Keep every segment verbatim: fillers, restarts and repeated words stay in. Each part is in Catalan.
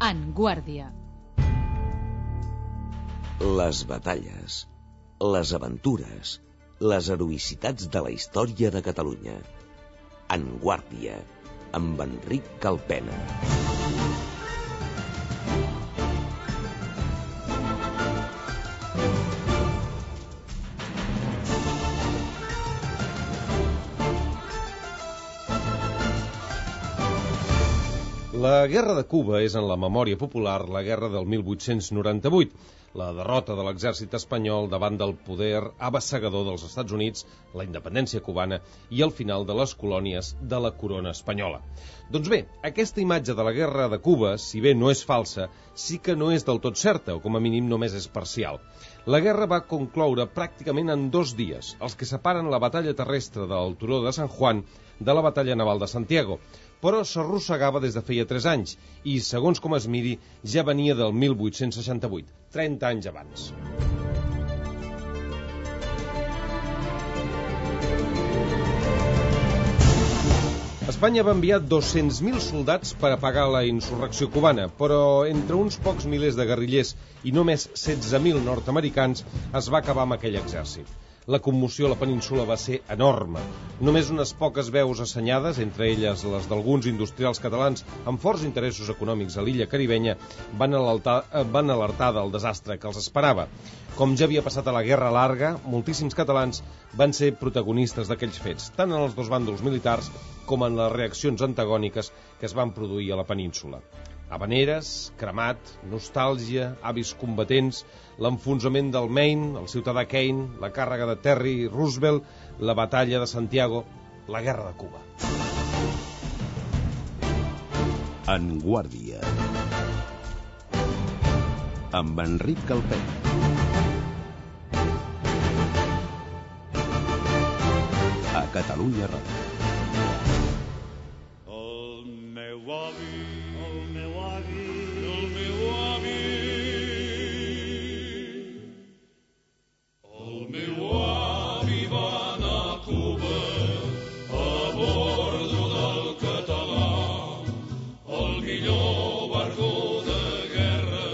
En Guàrdia. Les batalles, les aventures, les heroïcitats de la història de Catalunya. En Guàrdia, amb Enric Calpena. La Guerra de Cuba és en la memòria popular la guerra del mil vuit-cents noranta-vuit, la derrota de l'exèrcit espanyol davant del poder abassegador dels Estats Units, la independència cubana i el final de les colònies de la corona espanyola. Doncs bé, aquesta imatge de la Guerra de Cuba, si bé no és falsa, sí que no és del tot certa, o com a mínim només és parcial. La guerra va concloure pràcticament en dos dies, els que separen la batalla terrestre del turó de San Juan de la batalla naval de Santiago, però s'arrossegava des de feia tres anys i, segons com es miri, ja venia del mil vuit-cents seixanta-vuit, trenta anys abans. Espanya va enviar dos-cents mil soldats per apagar la insurrecció cubana, però entre uns pocs milers de guerrillers i només setze mil nord-americans es va acabar amb aquell exèrcit. La commoció a la península va ser enorme. Només unes poques veus assenyades, entre elles les d'alguns industrials catalans amb forts interessos econòmics a l'illa caribenya, van alertar, van alertar del desastre que els esperava. Com ja havia passat a la Guerra Larga, moltíssims catalans van ser protagonistes d'aquells fets, tant en els dos bàndols militars com en les reaccions antagòniques que es van produir a la península. Havaneres, cremat, nostàlgia, avis combatents, l'enfonsament del Maine, el ciutadà Kane, la càrrega de Terry Roosevelt, la batalla de Santiago, la guerra de Cuba. En Guàrdia, amb Enric Calpena. A Catalunya Ràdio. El meu avi, el meu avi, el meu avi, el meu avi va anar a Cuba a bordo del Català, el millor barco de guerra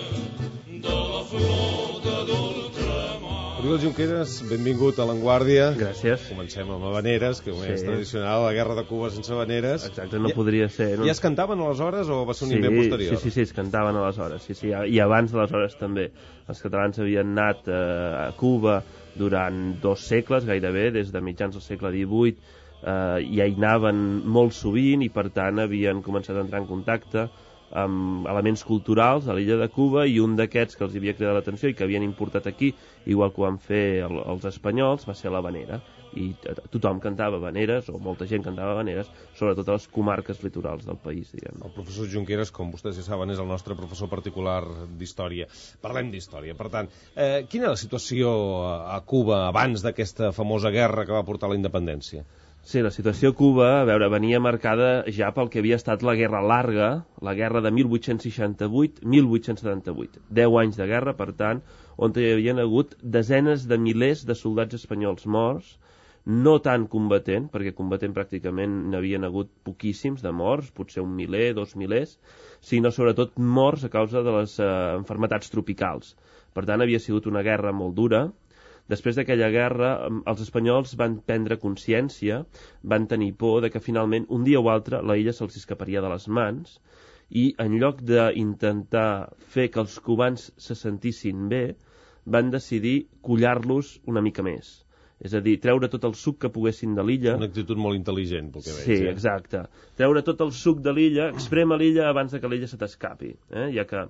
de la flota d'ultramar. Oriol Junqueras, benvingut a l'Enguàrdia. Gràcies. Comencem amb Havaneres, que Sí. és tradicional, la guerra de Cuba sense Havaneres. Exacte, no Ja- podria ser. No? Ja es cantaven aleshores o va ser un Sí, invent posterior? sí, sí, sí, es cantaven aleshores, sí, sí, i abans d'aleshores també. Els catalans havien anat eh, a Cuba durant dos segles, gairebé, des de mitjans del segle divuit, eh, i hi anaven molt sovint i, per tant, havien començat a entrar en contacte amb elements culturals a l'illa de Cuba, i un d'aquests que els havia cridat l'atenció i que havien importat aquí, igual que ho van fer el, els espanyols, va ser l'havanera. I tothom cantava habaneres, o molta gent cantava habaneres, sobretot a les comarques litorals del país, diguem. El professor Junqueras, com vostès ja saben, és el nostre professor particular d'història. Parlem d'història, per tant. Eh, quina era la situació a Cuba abans d'aquesta famosa guerra que va portar a la independència? Sí, la situació a Cuba, a veure, venia marcada ja pel que havia estat la Guerra Larga, la guerra de mil vuit-cents seixanta-vuit a mil vuit-cents setanta-vuit. Deu anys de guerra, per tant, on hi havia hagut desenes de milers de soldats espanyols morts, no tant combatent, perquè combatent pràcticament n'havien hagut poquíssims de morts, potser un miler, dos milers, sinó sobretot morts a causa de les eh, enfermetats tropicals. Per tant, havia sigut una guerra molt dura. Després d'aquella guerra, els espanyols van prendre consciència, van tenir por de que finalment, un dia o altre, la illa se'ls escaparia de les mans, i en lloc d'intentar fer que els cubans se sentissin bé, van decidir collar-los una mica més. És a dir, treure tot el suc que poguessin de l'illa. Una actitud molt intel·ligent, pel que veig. Sí, eh? exacte. Treure tot el suc de l'illa, exprema l'illa abans de que l'illa se t'escapi, eh? Ja que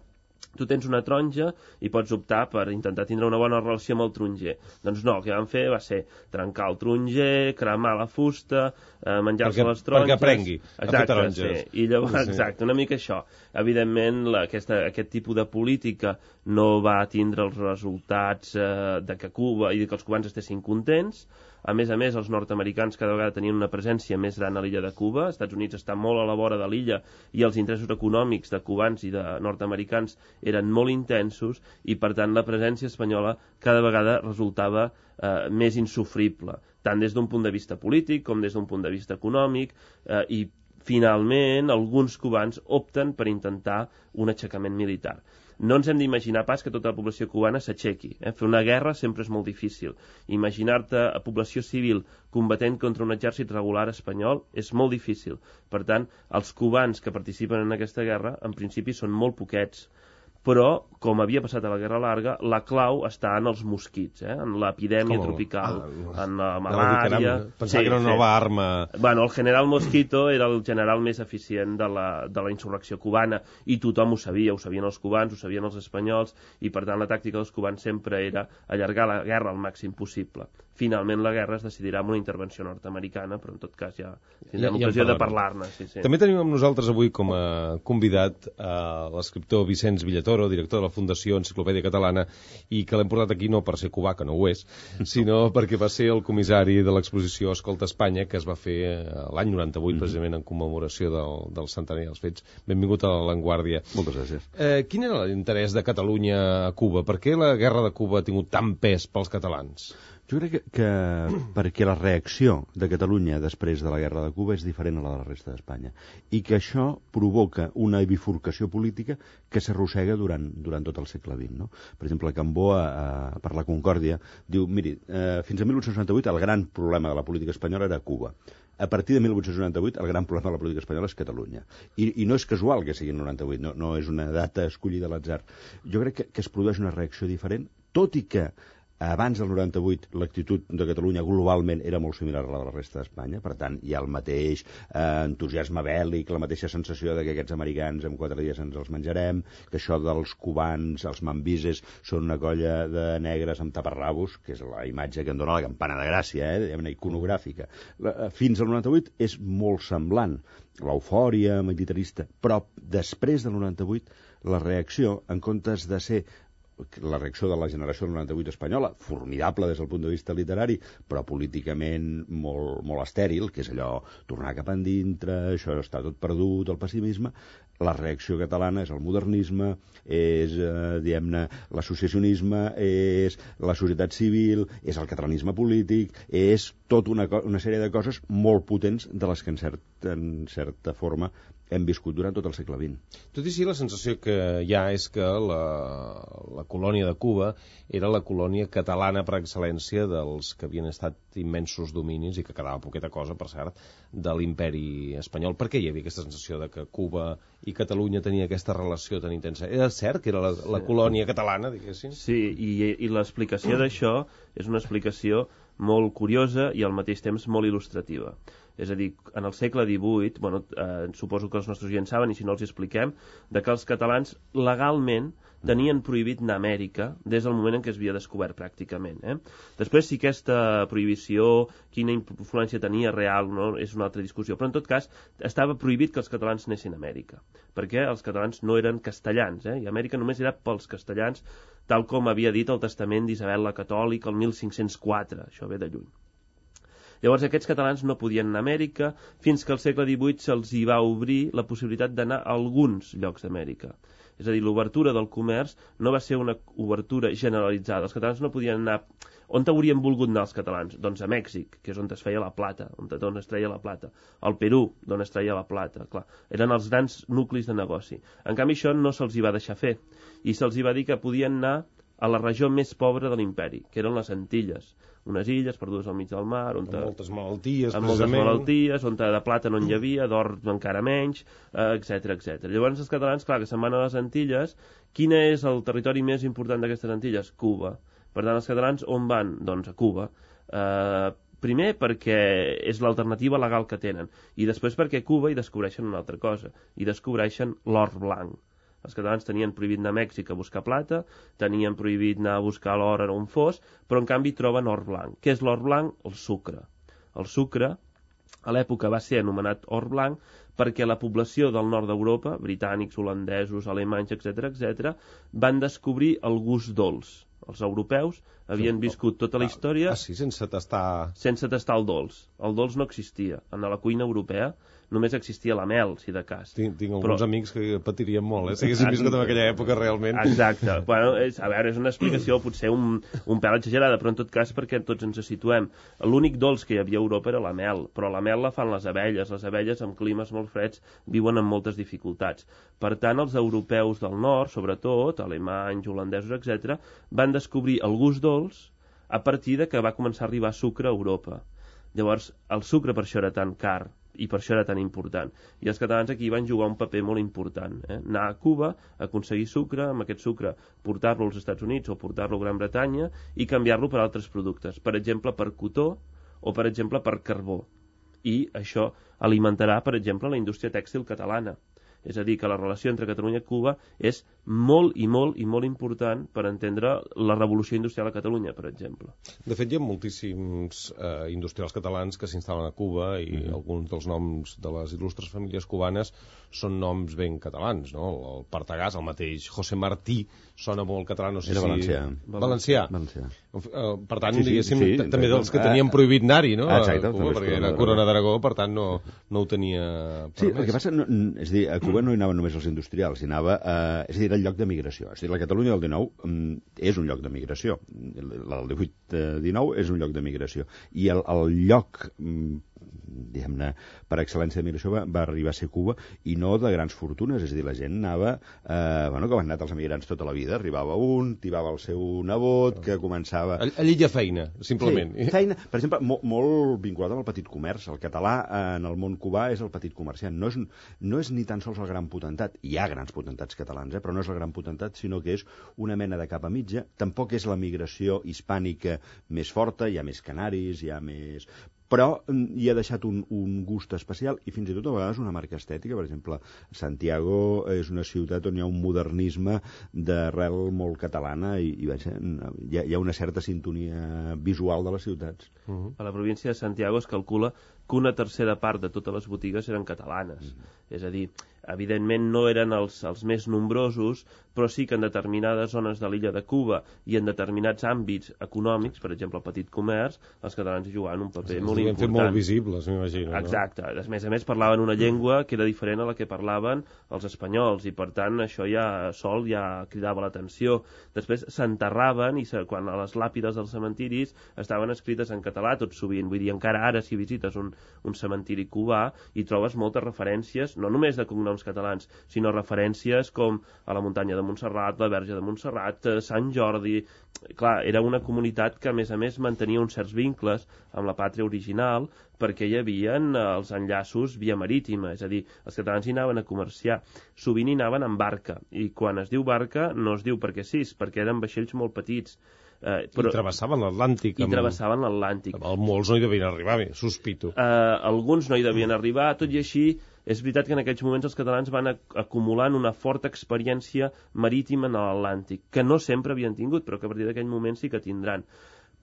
tu tens una taronja i pots optar per intentar tindre una bona relació amb el taronger. Doncs no, el que van fer va ser trencar el taronger, cremar la fusta, eh, menjar-se Perquè- les taronges... perquè aprengui a fer Exacte, taronges. sí. I llavors, Sí. exacte, una mica això. Evidentment, la, aquesta, aquest tipus de política no va tindre els resultats eh, de que Cuba i de que els cubans estessin contents. A més a més, els nord-americans cada vegada tenien una presència més gran a l'illa de Cuba. Els Estats Units està molt a la vora de l'illa i els interessos econòmics de cubans i de nord-americans eren molt intensos, i per tant la presència espanyola cada vegada resultava eh, més insufrible, tant des d'un punt de vista polític com des d'un punt de vista econòmic, eh, i Finalment, alguns cubans opten per intentar un aixecament militar. No ens hem d'imaginar pas que tota la població cubana s'aixequi. Eh? Fer una guerra sempre és molt difícil. Imaginar-te a població civil combatent contra un exèrcit regular espanyol és molt difícil. Per tant, els cubans que participen en aquesta guerra, en principi, són molt poquets. Però, com havia passat a la Guerra Larga, la clau està en els mosquits, eh? En l'epidèmia tropical, ah, en la malària... Pensava sí, que era una nova sí. arma... Bueno, el general Mosquito era el general més eficient de la, de la insurrecció cubana, i tothom ho sabia, ho sabien els cubans, ho sabien els espanyols, i per tant la tàctica dels cubans sempre era allargar la guerra al màxim possible. Finalment la guerra es decidirà amb una intervenció nord-americana, però en tot cas ja tindrem ja, ocasió ja de parlar-ne. Sí, sí. També tenim amb nosaltres avui com a convidat a l'escriptor Vicenç Villatoro, director de la Fundació Enciclopèdia Catalana, i que l'hem portat aquí no per ser cubà, que no ho és, sinó perquè va ser el comissari de l'exposició Escolta Espanya, que es va fer l'any noranta-vuit, mm-hmm. precisament en commemoració del, del centenari dels fets. Benvingut a l'Avantguàrdia. Moltes gràcies. Eh, quin era l'interès de Catalunya a Cuba? Per què la guerra de Cuba ha tingut tant pes pels catalans? Jo crec que, que perquè la reacció de Catalunya després de la guerra de Cuba és diferent a la de la resta d'Espanya i que això provoca una bifurcació política que s'arrossega durant, durant tot el segle vint. No? Per exemple, Cambó, eh, per la Concòrdia, diu, miri, eh, fins a mil vuit-cents noranta-vuit el gran problema de la política espanyola era Cuba. A partir de mil vuit-cents noranta-vuit el gran problema de la política espanyola és Catalunya. I, i no és casual que sigui el noranta-vuit, no, no és una data escollida a l'atzar. Jo crec que, que es produeix una reacció diferent, tot i que abans del noranta-vuit l'actitud de Catalunya globalment era molt similar a la de la resta d'Espanya, per tant hi ha el mateix eh, entusiasme bèl·lic, la mateixa sensació de que aquests americans en quatre dies ens els menjarem, que això dels cubans, els mambises, són una colla de negres amb taparrabos, que és la imatge que em dona la campana de Gràcia, eh, diguem-ne, iconogràfica. La, fins al noranta-vuit és molt semblant, l'eufòria militarista, però després del noranta-vuit la reacció, en comptes de ser la reacció de la generació del noranta-vuit espanyola, formidable des del punt de vista literari, però políticament molt, molt estèril, que és allò, tornar cap endintre, això està tot perdut, el pessimisme. La reacció catalana és el modernisme, és, eh, diguem-ne, l'associacionisme, és la societat civil, és el catalanisme polític, és tota una, una sèrie de coses molt potents de les que en, cert, en certa forma hem viscut durant tot el segle vint. Tot i així, la sensació que hi ha és que la, la colònia de Cuba era la colònia catalana per excel·lència dels que havien estat immensos dominis, i que quedava poqueta cosa, per cert, de l'imperi espanyol. Per què hi havia aquesta sensació de que Cuba i Catalunya tenia aquesta relació tan intensa? Era cert que era la, la colònia catalana, diguéssim? Sí, i, i l'explicació d'això és una explicació molt curiosa i al mateix temps molt il·lustrativa. És a dir, en el segle divuit, bueno, eh, suposo que els nostres oients saben, i si no els expliquem, de que els catalans legalment tenien prohibit anar a Amèrica des del moment en què es havia descobert pràcticament. Eh? Després, si aquesta prohibició, quina influència tenia real, no? És una altra discussió, però en tot cas estava prohibit que els catalans anessin a Amèrica, perquè els catalans no eren castellans, eh? I Amèrica només era pels castellans, tal com havia dit el testament d'Isabel la Catòlica el mil cinc-cents quatre, això ve de lluny. Llavors aquests catalans no podien anar a Amèrica fins que al segle divuit se'ls hi va obrir la possibilitat d'anar a alguns llocs d'Amèrica. És a dir, l'obertura del comerç no va ser una obertura generalitzada. Els catalans no podien anar... On haurien volgut anar els catalans? Doncs a Mèxic, que és on es feia la plata, on, on es treia la plata. Al Perú, d'on es treia la plata. Clar, eren els grans nuclis de negoci. En canvi, això no se'ls hi va deixar fer. I se'ls hi va dir que podien anar a la regió més pobra de l'imperi, que eren les Antilles. Unes illes perdudes al mig del mar, on amb moltes malalties, amb moltes malalties, on de plata no n'hi havia, d'or encara menys, etcètera, etcètera. Llavors els catalans, clar, que se'n van a les Antilles. Quin és el territori més important d'aquestes Antilles? Cuba. Per tant, els catalans on van? Doncs a Cuba. Eh, primer perquè és l'alternativa legal que tenen, i després perquè a Cuba hi descobreixen una altra cosa, hi descobreixen l'or blanc. Els catalans tenien prohibit anar a Mèxic a buscar plata, tenien prohibit anar a buscar l'or on fos, però en canvi troben or blanc. Què és l'or blanc? El sucre. El sucre, a l'època, va ser anomenat or blanc perquè la població del nord d'Europa, britànics, holandesos, alemanys, etcètera, etcètera, van descobrir el gust dolç. Els europeus havien viscut tota la història... Ah, sí, sense tastar... Sense tastar el dolç. El dolç no existia. En la cuina europea només existia la mel, si de cas. Tinc, tinc Però... alguns amics que patirien molt, eh? Si haguessin viscut en aquella època, realment. Exacte. Bueno, és, a veure, és una explicació potser un, un pèl exagerada, però en tot cas perquè tots ens situem. L'únic dolç que hi havia a Europa era la mel, però la mel la fan les abelles. Les abelles, amb climes molt freds, viuen amb moltes dificultats. Per tant, els europeus del nord, sobretot, alemanys, holandesos, etcètera, van descobrir el gust dolç a partir de que va començar a arribar sucre a Europa. Llavors, el sucre per això era tan car i per això era tan important. I els catalans aquí van jugar un paper molt important. Eh? Anar a Cuba, aconseguir sucre, amb aquest sucre portar-lo als Estats Units o portar-lo a Gran Bretanya i canviar-lo per altres productes. Per exemple, per cotó o, per exemple, per carbó. I això alimentarà, per exemple, la indústria tèxtil catalana. És a dir, que la relació entre Catalunya i Cuba és molt i molt i molt important per entendre la revolució industrial a Catalunya, per exemple. De fet, hi ha moltíssims eh, industrials catalans que s'instal·len a Cuba i mm-hmm. alguns dels noms de les il·lustres famílies cubanes són noms ben catalans, no? El Partagàs, el mateix José Martí, sona molt català, no sé Era si... valencià. Valencià. Valencià. Per tant, sí, sí, diguéssim, sí, també dels que ah, tenien prohibit anar-hi, no? Exacte, a Cuba, perquè era Corona d'Aragó, per tant, no, no ho tenia permès. Sí, el que passa, no, és a dir, a Cuba no hi anaven només els industrials, hi anava, eh, és a dir, era el lloc de migració. És a dir, la Catalunya del dinou mm, és un lloc de migració. La del divuit dinou és un lloc de migració. I el, el lloc... Mm, diguem-ne, per excel·lència de migració va, va arribar a ser Cuba, i no de grans fortunes, és a dir, la gent anava, eh, bueno, com han anat els emigrants tota la vida, arribava un, tibava el seu nebot, que començava... Allí hi ha feina, simplement. Sí, feina, per exemple, molt, molt vinculat amb el petit comerç. El català en el món cubà és el petit comerciant, no és, no és ni tan sols el gran potentat, hi ha grans potentats catalans, eh, però no és el gran potentat, sinó que és una mena de capa mitja, tampoc és la migració hispànica més forta, hi ha més canaris, hi ha més... però hi ha deixat un, un gust especial i fins i tot a vegades una marca estètica. Per exemple, Santiago és una ciutat on hi ha un modernisme d'arrel molt catalana i, i vaja, hi, ha, hi ha una certa sintonia visual de les ciutats. Uh-huh. A la província de Santiago es calcula que una tercera part de totes les botigues eren catalanes. Uh-huh. És a dir, evidentment no eren els, els més nombrosos, però sí que en determinades zones de l'illa de Cuba i en determinats àmbits econòmics, per exemple el petit comerç, els catalans hi jugaven un paper sí, molt important. Fet molt visibles, m'imagino. Exacte. No? A més a més parlaven una llengua que era diferent a la que parlaven els espanyols i per tant això ja sol ja cridava l'atenció. Després s'enterraven i se, quan a les làpides dels cementiris estaven escrites en català tot sovint. Vull dir, encara ara si visites un, un cementiri cubà hi trobes moltes referències, no només de cognoms catalans, sinó referències com a la muntanya de Montserrat, la Verge de Montserrat, Sant Jordi... Clar, era una comunitat que a més a més mantenia uns certs vincles amb la pàtria original perquè hi havia els enllaços via marítima, és a dir, els catalans hi anaven a comerciar, sovint hi anaven en barca, i quan es diu barca no es diu perquè sí, perquè eren vaixells molt petits. Eh, però, I travessaven l'Atlàntic. I amb... travessaven l'Atlàntic. Molts no hi devien arribar, bé, sospito. Eh, alguns no hi devien arribar, tot i així és veritat que en aquells moments els catalans van acumulant una forta experiència marítima en l'Atlàntic, que no sempre havien tingut, però que a partir d'aquell moment sí que tindran.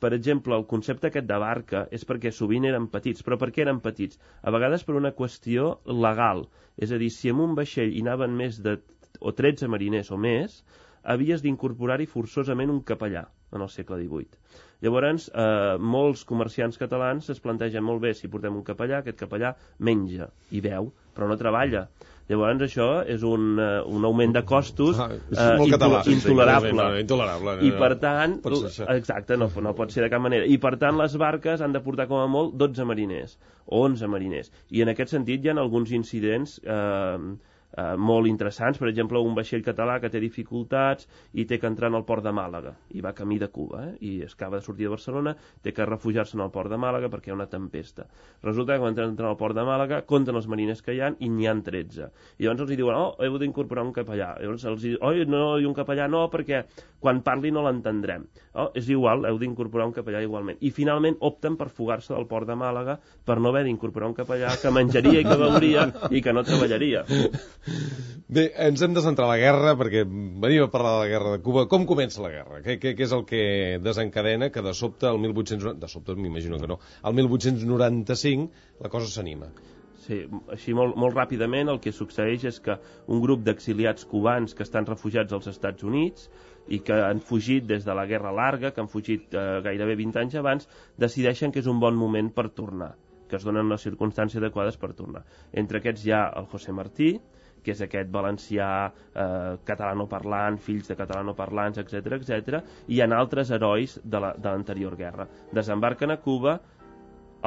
Per exemple, el concepte aquest de barca és perquè sovint eren petits. Però per què eren petits? A vegades per una qüestió legal. És a dir, si en un vaixell hi anaven més de o tretze mariners o més, havies d'incorporar-hi forçosament un capellà en el segle divuit. Llavors, eh, molts comerciants catalans es plantegen molt bé, si portem un capellà, aquest capellà menja i beu, però no treballa. Llavors això és un, uh, un augment de costos uh, català, intolerable. No, intolerable no, I per tant, no exacte, no, no pot ser de cap manera. I per tant les barques han de portar com a molt dotze mariners o onze mariners. I en aquest sentit hi ha alguns incidents eh, Uh, molt interessants. Per exemple, un vaixell català que té dificultats i té que entrar en el port de Màlaga i va camí de Cuba, eh? I es acaba de sortir de Barcelona, té que refugiar-se en el port de Màlaga perquè hi ha una tempesta. Resulta que quan entren al port de Màlaga compten els mariners que hi ha i n'hi ha tretze. I llavors els diuen, oh, heu d'incorporar un capellà. Llavors els diuen, oh, no, i un capellà no, perquè quan parli no l'entendrem. Oh, és igual, heu d'incorporar un capellà igualment. I finalment opten per fugar-se del port de Màlaga per no haver d'incorporar un capellà que menjaria i que veuria i que no treballaria. Bé, ens hem de centrar a la guerra perquè venim a parlar de la guerra de Cuba. Com comença la guerra? Què, què, què és el que desencadena que de sobte el mil vuit-cents noranta... de sobte m'imagino que no, el mil vuit-cents noranta-cinc la cosa s'anima? Sí, així molt, molt ràpidament el que succeeix és que un grup d'exiliats cubans que estan refugiats als Estats Units i que han fugit des de la Guerra Larga, que han fugit eh, gairebé vint anys abans, decideixen que és un bon moment per tornar, que es donen les circumstàncies adequades per tornar. Entre aquests hi ha el José Martí, que és aquest valencià eh, catalanoparlant, fills de catalanoparlants, etcètera, etcètera, i hi ha altres herois de la, de l'anterior guerra. Desembarquen a Cuba,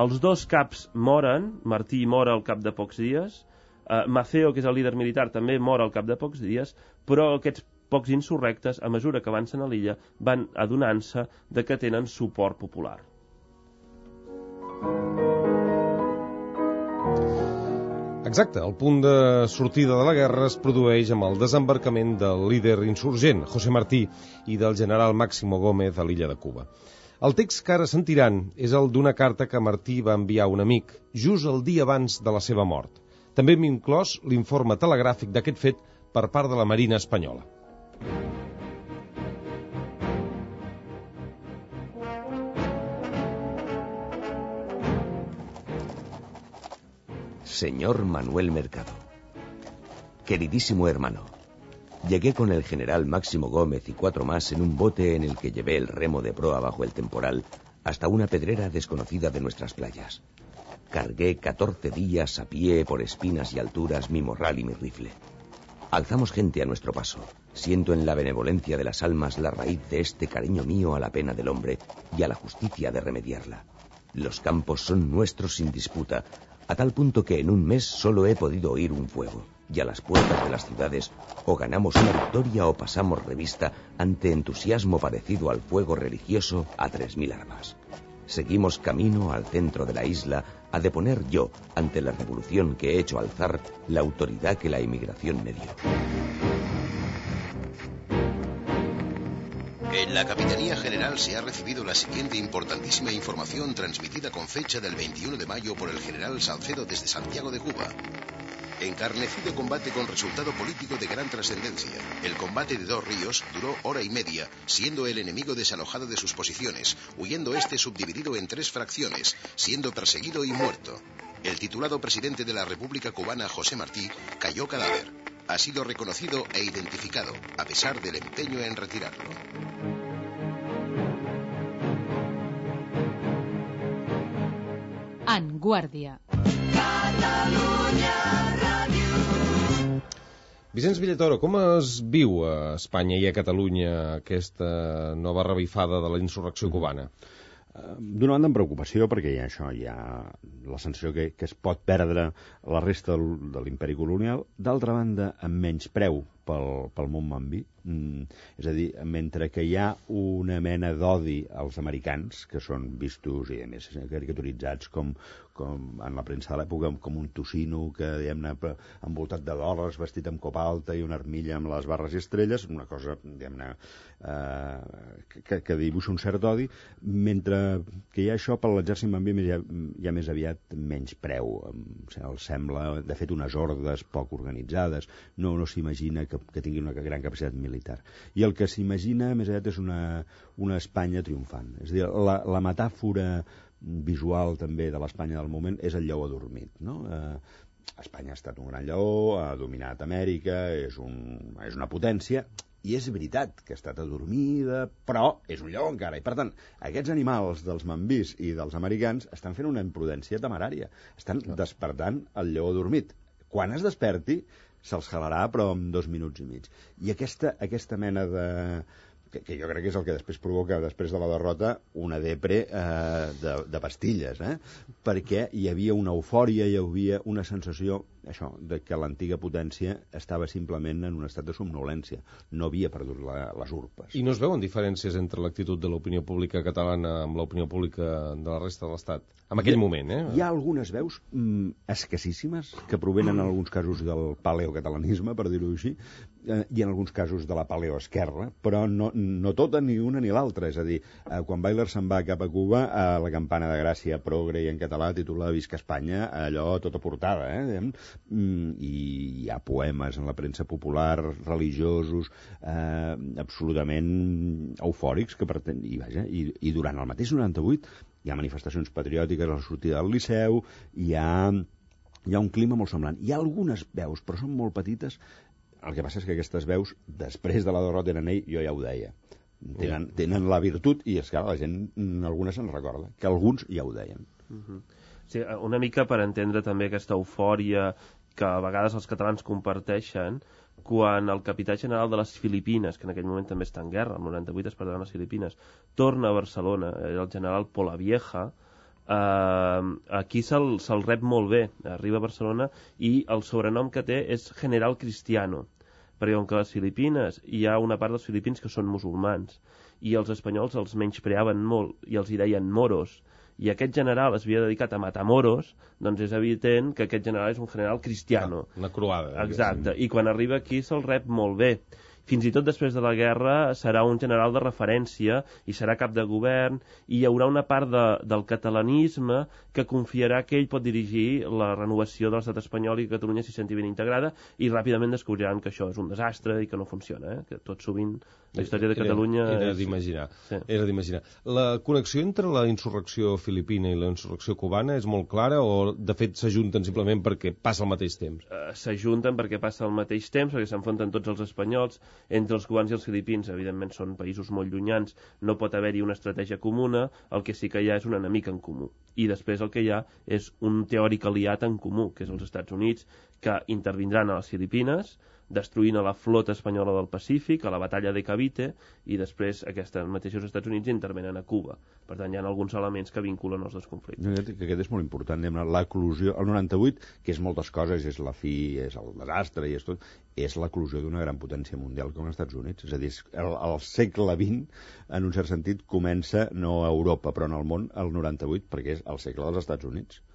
els dos caps moren, Martí mor al cap de pocs dies, eh, Maceo, que és el líder militar, també mor al cap de pocs dies, però aquests pocs insurrectes, a mesura que avancen a l'illa, van adonant-se de que tenen suport popular. Exacte, el punt de sortida de la guerra es produeix amb el desembarcament del líder insurgent, José Martí, i del general Máximo Gómez a l'illa de Cuba. El text que ara sentiran és el d'una carta que Martí va enviar a un amic, just el dia abans de la seva mort. També hem inclòs l'informe telegràfic d'aquest fet per part de la Marina espanyola. Señor Manuel Mercado. Queridísimo hermano, llegué con el general Máximo Gómez y cuatro más en un bote en el que llevé el remo de proa bajo el temporal hasta una pedrera desconocida de nuestras playas. Cargué catorce días a pie por espinas y alturas mi morral y mi rifle. Alzamos gente a nuestro paso. Siento en la benevolencia de las almas la raíz de este cariño mío a la pena del hombre y a la justicia de remediarla. Los campos son nuestros sin disputa, a tal punto que en un mes solo he podido oír un fuego, y a las puertas de las ciudades o ganamos una victoria o pasamos revista ante entusiasmo parecido al fuego religioso a tres mil armas. Seguimos camino al centro de la isla a deponer yo, ante la revolución que he hecho alzar, la autoridad que la emigración me dio. En la Capitanía General se ha recibido la siguiente importantísima información transmitida con fecha del veintiuno de mayo por el general Salcedo desde Santiago de Cuba. Encarnecido combate con resultado político de gran trascendencia. El combate de Dos Ríos duró hora y media, siendo el enemigo desalojado de sus posiciones, huyendo este subdividido en tres fracciones, siendo perseguido y muerto. El titulado presidente de la República Cubana, José Martí, cayó cadáver. Ha sido reconocido e identificado, a pesar del empeño en retirarlo. En Guàrdia. Vicenç Villatoro, com es viu a Espanya i a Catalunya aquesta nova revifada de la insurrecció cubana? D'una banda, amb preocupació, perquè hi ha això, hi ha la sensació que, que es pot perdre la resta de l'imperi colonial. D'altra banda, amb menys preu pel, pel món mambí. Mm, és a dir, mentre que hi ha una mena d'odi als americans, que són vistos i a més caricaturitzats com, com en la premsa de l'època, com un tocino que, diguem-ne, envoltat de dòlars, vestit amb copa alta i una armilla amb les barres i estrelles, una cosa, diguem-ne, eh, que, que dibuixa un cert odi, mentre que hi ha això, per l'exèrcit mambí hi ha, hi ha més aviat menys preu. O sigui, els sembla, de fet, unes hordes poc organitzades, no, no s'imagina que, que tingui una gran capacitat militar. I el que s'imagina, més aviat, és una, una Espanya triomfant. És a dir, la, la metàfora visual també de l'Espanya del moment és el lleó adormit, no? Eh, Espanya ha estat un gran lleó, ha dominat Amèrica, és, un, és una potència, i és veritat que ha estat adormida, però és un lleó encara. I, per tant, aquests animals dels mambís i dels americans estan fent una imprudència temerària. Estan despertant el lleó adormit. Quan es desperti, se'ls jalarà, però en dos minuts i mig. I aquesta, aquesta mena de... Que, que jo crec que és el que després provoca, després de la derrota, una depre eh, de, de pastilles, eh? Perquè hi havia una eufòria, hi havia una sensació, això, de que l'antiga potència estava simplement en un estat de somnolència. No havia perdut la, les urpes. I no es veuen diferències entre l'actitud de l'opinió pública catalana amb l'opinió pública de la resta de l'Estat? En aquell hi, moment, eh? Hi ha algunes veus mm, escassíssimes que provenen en alguns casos del paleocatalanisme, per dir-ho així, eh, i en alguns casos de la paleoesquerra, però no, no tota, ni una ni l'altra. És a dir, eh, quan Bayler se'n va cap a Cuba, eh, la campana de Gràcia progre i en català titula Visca Espanya, allò tota portada, eh? Mm, i hi ha poemes en la premsa popular, religiosos, eh, absolutament eufòrics, que pretén... I, vaja, i, i durant el mateix noranta-vuit hi ha manifestacions patriòtiques a la sortida del Liceu, hi ha, hi ha un clima molt semblant. Hi ha algunes veus, però són molt petites. El que passa és que aquestes veus, després de la derrota en ell, jo ja ho deia, tenen, tenen la virtut, i és que la gent, alguna se'n recorda, que alguns ja ho deien. Uh-huh. Sí, una mica per entendre també aquesta eufòria que a vegades els catalans comparteixen quan el capità general de les Filipines, que en aquell moment també està en guerra, el noranta-vuit es perdran les Filipines, torna a Barcelona, el general Polavieja, eh, aquí se'l se rep molt bé, arriba a Barcelona i el sobrenom que té és General Cristiano, perquè com que a les Filipines hi ha una part dels filipins que són musulmans i els espanyols els menyspreaven molt i els hi deien moros, i aquest general es havia dedicat a matar moros, doncs és evident que aquest general és un general cristiano. Una croada. Exacte, i quan arriba aquí se'l rep molt bé. Fins i tot després de la guerra serà un general de referència i serà cap de govern i hi haurà una part de, del catalanisme que confiarà que ell pot dirigir la renovació de l'estat espanyol i que Catalunya s'hi senti ben integrada i ràpidament descobriran que això és un desastre i que no funciona, eh? Que tot sovint la història de Catalunya... Era, era és... d'imaginar. Sí. Era d'imaginar. La connexió entre la insurrecció filipina i la insurrecció cubana és molt clara o de fet s'ajunten simplement perquè passa al mateix temps? Uh, s'ajunten perquè passa al mateix temps, perquè s'enfronten tots els espanyols. Entre els cubans i els filipins, evidentment, són països molt llunyans, no pot haver-hi una estratègia comuna, el que sí que hi ha és un enemic en comú. I després el que hi ha és un teòric aliat en comú, que és els Estats Units, que intervindran a les Filipines, destruint a la flota espanyola del Pacífic, a la batalla de Cavite, i després aquests mateixos Estats Units intervenen a Cuba. Per tant, hi ha alguns elements que vinculen els dos conflictes. Que aquest és molt important, l'eclusió, el noranta-vuit, que és moltes coses, és la fi, és el desastre, i és tot, és l'eclusió d'una gran potència mundial com els Estats Units. És a dir, el, el segle vint, en un cert sentit, comença no a Europa, però en el món, el noranta-vuit, perquè és el segle dels Estats Units.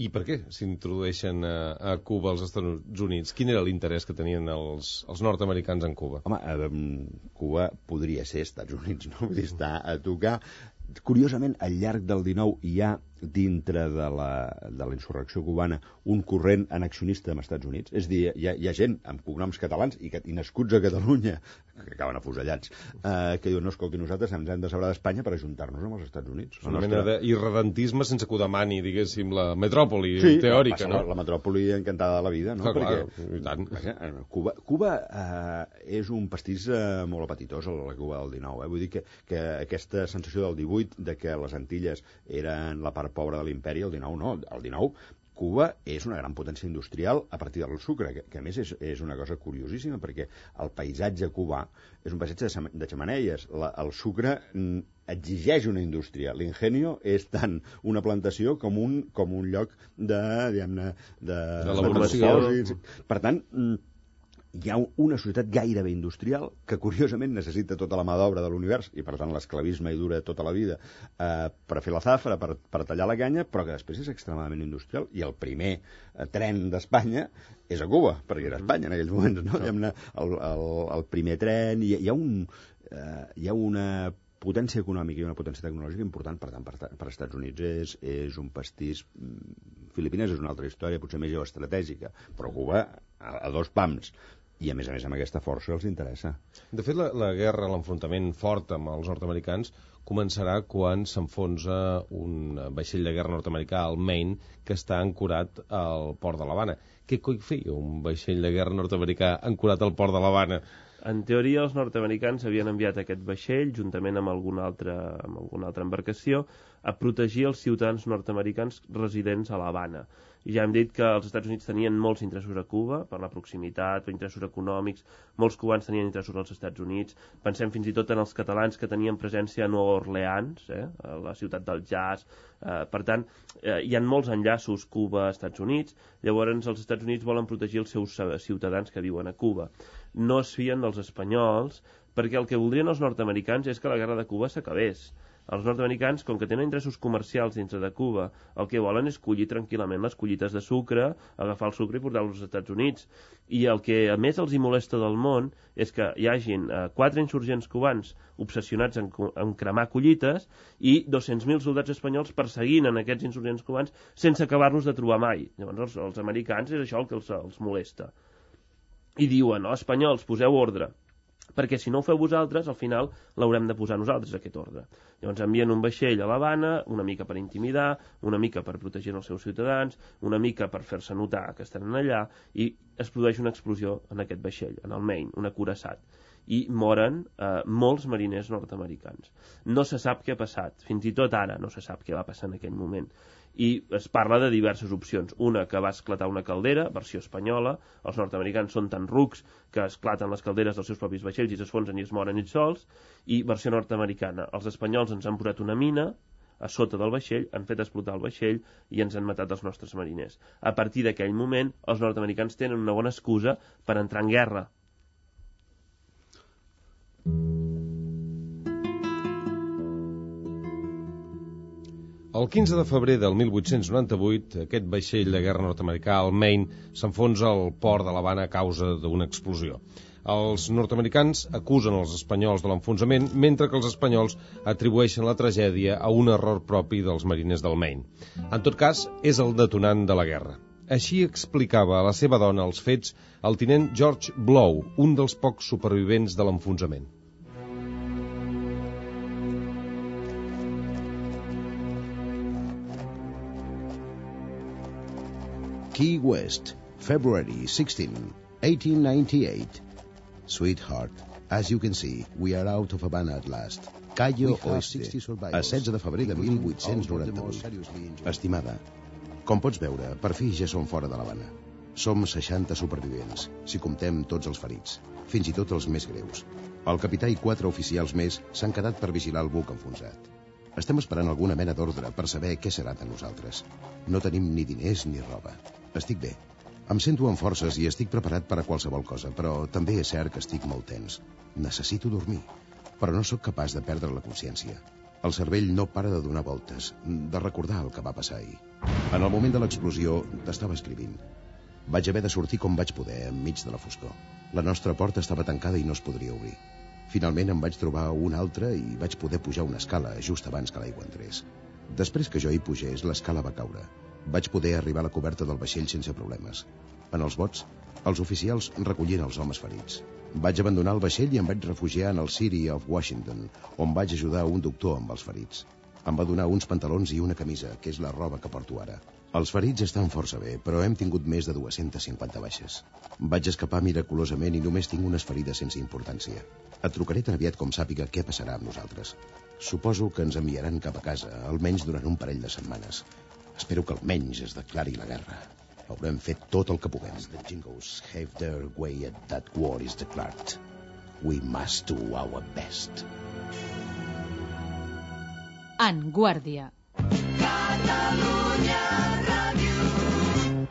I per què s'introdueixen a, a Cuba els Estats Units? Quin era l'interès que tenien els, els nord-americans en Cuba? Home, eh, Cuba podria ser Estats Units, no? Vull dir, està a tocar. Curiosament, al llarg del dinou hi ha dintre de la, de la insurrecció cubana un corrent annexionista amb Estats Units. És a dir, hi ha, hi ha gent amb cognoms catalans i, que, i nascuts a Catalunya, que acaben afusellats, eh, que diuen, no, escolti, nosaltres ens hem de separar d'Espanya per ajuntar-nos amb els Estats Units. És una mena nostra... d'irredentisme sense que ho demani, diguéssim, la metròpoli sí, teòrica, no? La metròpoli encantada de la vida, no? Ah, clar, perquè, i tant. Vaja, Cuba, Cuba eh, és un pastís eh, molt apetitós, la Cuba del dinou. Eh? Vull dir que, que aquesta sensació del divuit, de que les Antilles eren la part pobra de l'imperi, el dinou no, el dinou Cuba és una gran potència industrial a partir del sucre, que, que a més és, és una cosa curiosíssima, perquè el paisatge cubà és un paisatge de, de xemeneies. La, el sucre mm, exigeix una indústria. L'ingenio és tant una plantació com un, com un lloc de, diguem-ne, de, de l'elaboració. Per tant, mm, hi ha una societat gairebé industrial que, curiosament, necessita tota la mà d'obra de l'univers i, per tant, l'esclavisme hi dura tota la vida eh, per fer la zafra, per, per tallar la canya, però que després és extremadament industrial. I el primer eh, tren d'Espanya és a Cuba, perquè era Espanya en aquells moments, no? El, el, el primer tren... Hi, hi, ha un, eh, hi ha una potència econòmica i una potència tecnològica important, per tant, per, per Estats Units és, és un pastís... Filipines és una altra història, potser més geoestratègica, però Cuba a, a dos pams. I, a més a més, amb aquesta força els interessa. De fet, la, la guerra, l'enfrontament fort amb els nord-americans començarà quan s'enfonsa un vaixell de guerra nord-americà, el Maine, que està ancorat al port de l'Havana. Què coi feia un vaixell de guerra nord-americà ancorat al port de l'Havana? En teoria, els nord-americans havien enviat aquest vaixell, juntament amb alguna altra, amb alguna altra embarcació, a protegir els ciutadans nord-americans residents a l'Havana. Ja hem dit que els Estats Units tenien molts interessos a Cuba, per la proximitat, per interessos econòmics, molts cubans tenien interessos als Estats Units, pensem fins i tot en els catalans que tenien presència a Nova Orleans, eh, a la ciutat del jazz, eh, per tant, eh, hi ha molts enllaços Cuba-Estats Units, llavors els Estats Units volen protegir els seus ciutadans que viuen a Cuba. No es fien dels espanyols, perquè el que voldrien els nord-americans és que la guerra de Cuba s'acabés. Els nord-americans, com que tenen interessos comercials dintre de Cuba, el que volen és collir tranquil·lament les collites de sucre, agafar el sucre i portar-los als Estats Units. I el que a més els hi molesta del món és que hi hagin eh, quatre insurgents cubans obsessionats en, en cremar collites i dos-cents mil soldats espanyols perseguint en aquests insurgents cubans sense acabar-los de trobar mai. Llavors els, els americans és això el que els, els molesta. I diuen, no, espanyols, poseu ordre, perquè si no ho feu vosaltres, al final l'haurem de posar nosaltres, aquest ordre. Llavors envien un vaixell a l'Havana, una mica per intimidar, una mica per protegir els seus ciutadans, una mica per fer-se notar que estan allà, i es produeix una explosió en aquest vaixell, en el Maine, un acoraçat. i moren eh, molts mariners nord-americans. No se sap què ha passat, fins i tot ara no se sap què va passar en aquell moment. I es parla de diverses opcions. Una, que va esclatar una caldera, versió espanyola, els nord-americans són tan rucs que esclaten les calderes dels seus propis vaixells i s'esfonsen i es moren ells sols, i versió nord-americana, els espanyols ens han posat una mina a sota del vaixell, han fet explotar el vaixell i ens han matat els nostres mariners. A partir d'aquell moment, els nord-americans tenen una bona excusa per entrar en guerra. El quinze de febrer del mil vuit-cents noranta-vuit, aquest vaixell de guerra nord-americà, el Maine, s'enfonsa al port de l'Havana a causa d'una explosió. Els nord-americans acusen els espanyols de l'enfonsament, mentre que els espanyols atribueixen la tragèdia a un error propi dels mariners del Maine. En tot cas, és el detonant de la guerra. Així explicava a la seva dona els fets el tinent George Blow, un dels pocs supervivents de l'enfonsament. Key West, February sixteenth, eighteen ninety-eight. Sweetheart, as you can see, we are out of Havana at last. Cayo Oeste, a setze de febrer de mil vuit-cents noranta-vuit. Estimada, com pots veure, per fi ja som fora de l'Havana. Som seixanta supervivents, si comptem tots els ferits, fins i tot els més greus. El capità i quatre oficials més s'han quedat per vigilar el buc enfonsat. Estem esperant alguna mena d'ordre per saber què serà de nosaltres. No tenim ni diners ni roba. Estic bé. Em sento amb forces i estic preparat per a qualsevol cosa, però també és cert que estic molt tens. Necessito dormir, però no sóc capaç de perdre la consciència. El cervell no para de donar voltes, de recordar el que va passar ahir. En el moment de l'explosió, t'estava escrivint. Vaig haver de sortir com vaig poder, enmig de la foscor. La nostra porta estava tancada i no es podria obrir. Finalment em vaig trobar una altra i vaig poder pujar una escala just abans que l'aigua entrés. Després que jo hi pugés, l'escala va caure. Vaig poder arribar a la coberta del vaixell sense problemes. En els bots, els oficials recollien els homes ferits. Vaig abandonar el vaixell i em vaig refugiar en el City of Washington, on vaig ajudar un doctor amb els ferits. Em va donar uns pantalons i una camisa, que és la roba que porto ara. Els ferits estan força bé, però hem tingut més de dues-centes cinquanta baixes. Vaig escapar miraculosament i només tinc unes ferides sense importància. Et trucaré tan aviat com sàpiga què passarà amb nosaltres. Suposo que ens enviaran cap a casa, almenys durant un parell de setmanes. Espero que almenys es declari la guerra. Haurem fet tot el que puguem. The Jingos have their way at that war is declared. We must do our best. En Guàrdia. Catalunya Ràdio.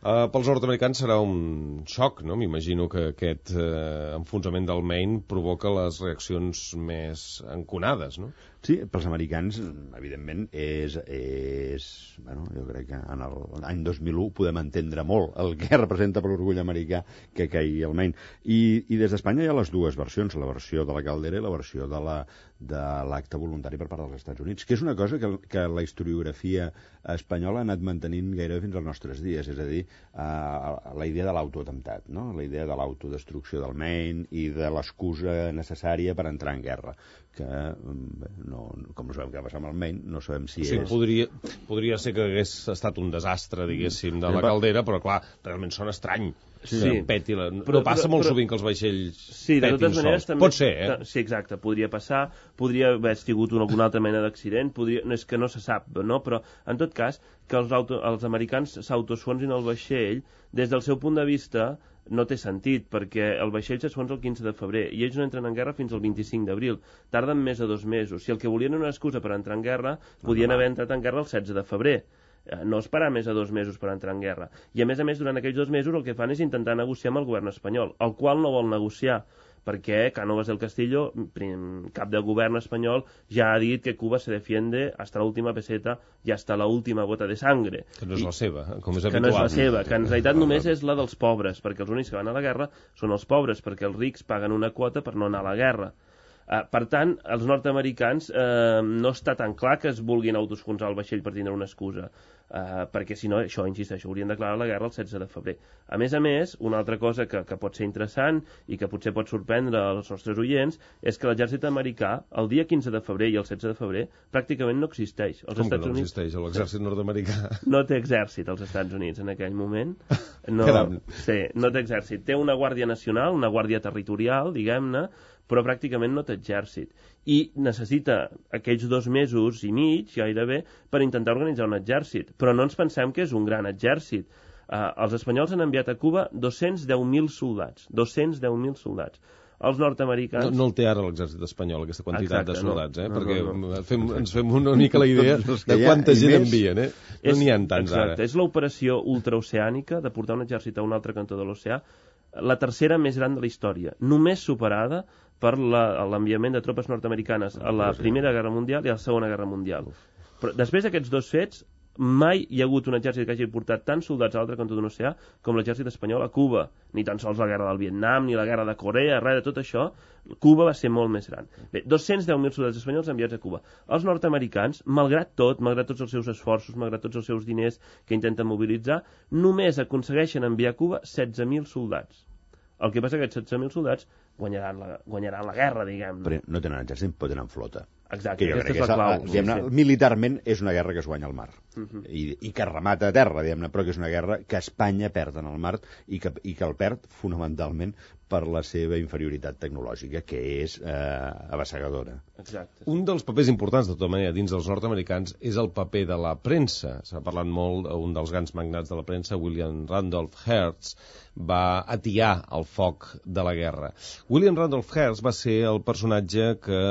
Uh, pels nord-americans serà un xoc, no? M'imagino que aquest uh, enfonsament del Maine provoca les reaccions més enconades, no? Sí, pels americans, evidentment, és, és... Bueno, jo crec que en l'any dos mil u podem entendre molt el que representa per l'orgull americà que caigui el Maine. I, i des d'Espanya hi ha les dues versions, la versió de la caldera i la versió de la de l'acte voluntari per part dels Estats Units, que és una cosa que, que la historiografia espanyola ha anat mantenint gairebé fins als nostres dies, és a dir, uh, la idea de l'autoatemptat, no? La idea de l'autodestrucció del Maine i de l'excusa necessària per entrar en guerra, que bé, no, com no sabem què va passar amb el Maine, no sabem si o sigui, és... Podria, podria ser que hagués estat un desastre, diguéssim, de la caldera, però clar, realment sona estrany. Sí, sí. Peti la... però, no passa però, molt però, sovint que els vaixells sí, de totes maneres, sols. També, pot ser, eh? Sí, exacte, podria passar, podria haver tingut una, alguna altra mena d'accident, podria... no, és que no se sap, no? Però en tot cas, que els, auto, els americans s'autoesfonsin el vaixell, des del seu punt de vista no té sentit, perquè el vaixell s'esfonsa el quinze de febrer i ells no entren en guerra fins al vint-i-cinc d'abril. Tarden més de dos mesos. Si el que volien era una excusa per entrar en guerra, podien haver entrat en guerra el setze de febrer. No esperar més de dos mesos per entrar en guerra. I a més a més, durant aquells dos mesos el que fan és intentar negociar amb el govern espanyol, el qual no vol negociar, perquè Cánovas del Castillo, cap de govern espanyol, ja ha dit que Cuba se defiende hasta la última peseta i hasta la última gota de sangre. Que no és I, la seva, com és que habitual. no és la seva, que en realitat només és la dels pobres, perquè els únics que van a la guerra són els pobres, perquè els rics paguen una quota per no anar a la guerra. Uh, per tant, els nord-americans uh, no està tan clar que es vulguin autosfonsar el vaixell per tindre una excusa, uh, perquè si no, això, insisteixo, haurien declarat la guerra el setze de febrer. A més a més, una altra cosa que, que pot ser interessant i que potser pot sorprendre els nostres oients és que l'exèrcit americà, el dia quinze de febrer i el setze de febrer, pràcticament no existeix. Els Com Estats que no Units... existeix l'exèrcit nord-americà? No té exèrcit als Estats Units en aquell moment. No, sí, no té exèrcit. Té una guàrdia nacional, una guàrdia territorial, diguem-ne, però pràcticament no té exèrcit. I necessita aquells dos mesos i mig, gairebé, per intentar organitzar un exèrcit. Però no ens pensem que és un gran exèrcit. Uh, els espanyols han enviat a Cuba dos-cents deu mil soldats. dos-cents deu mil soldats. Els nord-americans... No, no el té ara l'exèrcit espanyol, aquesta quantitat Exacte, de soldats, eh? no, perquè no, no. Fem, ens fem una mica la idea de quanta gent més... envien, eh? No n'hi ha tants exacte, ara. És l'operació ultraoceànica de portar un exèrcit a un altre cantó de l'oceà, la tercera més gran de la història, només superada per l'enviament de tropes nord-americanes a la Primera Guerra Mundial i a la Segona Guerra Mundial. Però després d'aquests dos fets, mai hi ha hagut un exèrcit que hagi portat tants soldats a l'altre cantó d'un oceà com l'exèrcit espanyol a Cuba. Ni tan sols la guerra del Vietnam, ni la guerra de Corea, res de tot això. Cuba va ser molt més gran. Bé, dos-cents deu mil soldats espanyols enviats a Cuba. Els nord-americans, malgrat tot, malgrat tots els seus esforços, malgrat tots els seus diners que intenten mobilitzar, només aconsegueixen enviar a Cuba setze mil soldats. El que passa és que aquests setze mil soldats guanyaran la, guanyaran la guerra, diguem. Però no tenen exèrcit, però tenen flota. Exacte, que jo aquesta crec és la clau. Que és, sí, sí. Militarment és una guerra que es guanya al mar. Uh -huh. I, I que remata a terra, diguem-ne, però que és una guerra que Espanya perd en el mar i que, i que el perd fonamentalment per la seva inferioritat tecnològica, que és eh, abassegadora. Exacte. Un dels papers importants, de tota manera, dins dels nord-americans és el paper de la premsa. S'ha parlat molt, un dels grans magnats de la premsa, William Randolph Hearst, va atiar el foc de la guerra. William Randolph Hearst va ser el personatge que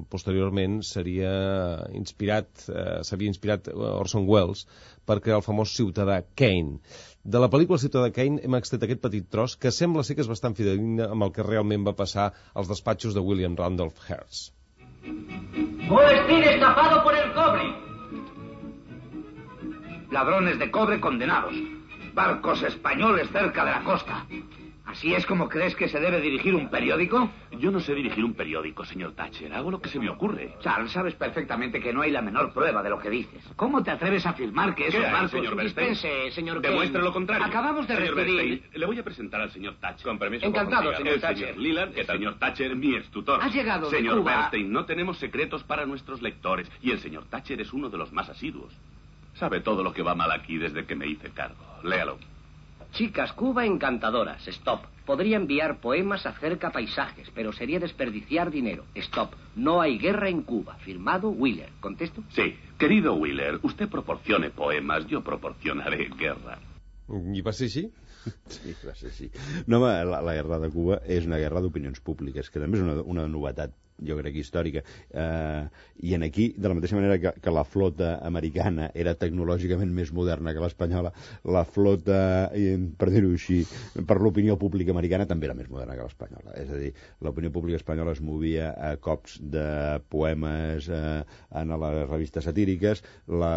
posteriorment seria inspirat, eh, s'havia inspirat Orson Welles per crear el famós Ciutadà Kane. De la pel·lícula Ciutadà Kane hem extret aquest petit tros que sembla ser que és bastant fidedigna amb el que realment va passar als despatxos de William Randolph Hearst. Molestín estafado por el cobre. Ladrones de cobre condenados. Barcos españoles cerca de la costa. ¿Así es como crees que se debe dirigir un periódico? Yo no sé dirigir un periódico, señor Thatcher. Hago lo que se me ocurre. Charles, sabes perfectamente que no hay la menor prueba de lo que dices. ¿Cómo te atreves a afirmar que esos ¿Qué hay, barcos... señor Bernstein? Dispense, señor Demuestre Kane. lo contrario. Acabamos de señor recibir... Bernstein, le voy a presentar al señor Thatcher. Con permiso. Encantado, señor el Thatcher. señor Leland, el señor Thatcher, mi extutor. Ha llegado de Señor Cuba. Bernstein, no tenemos secretos para nuestros lectores. Y el señor Thatcher es uno de los más asiduos. Sabe todo lo que va mal aquí desde que me hice cargo. Léalo. Chicas, Cuba encantadoras. Stop. Podría enviar poemas acerca paisajes, pero sería desperdiciar dinero. Stop. No hay guerra en Cuba. Firmado Wheeler. ¿Contesto? Sí. Querido Wheeler, usted proporcione poemas, yo proporcionaré guerra. I va ser així? Sí, va ser així. No, home, la, la guerra de Cuba és una guerra d'opinions públiques, que també és una, una novetat, jo crec, històrica. Eh, I en aquí, de la mateixa manera que, que la flota americana era tecnològicament més moderna que l'espanyola, la flota, per dir-ho així, per l'opinió pública americana també era més moderna que l'espanyola. És a dir, l'opinió pública espanyola es movia a cops de poemes eh, en les revistes satíriques. La,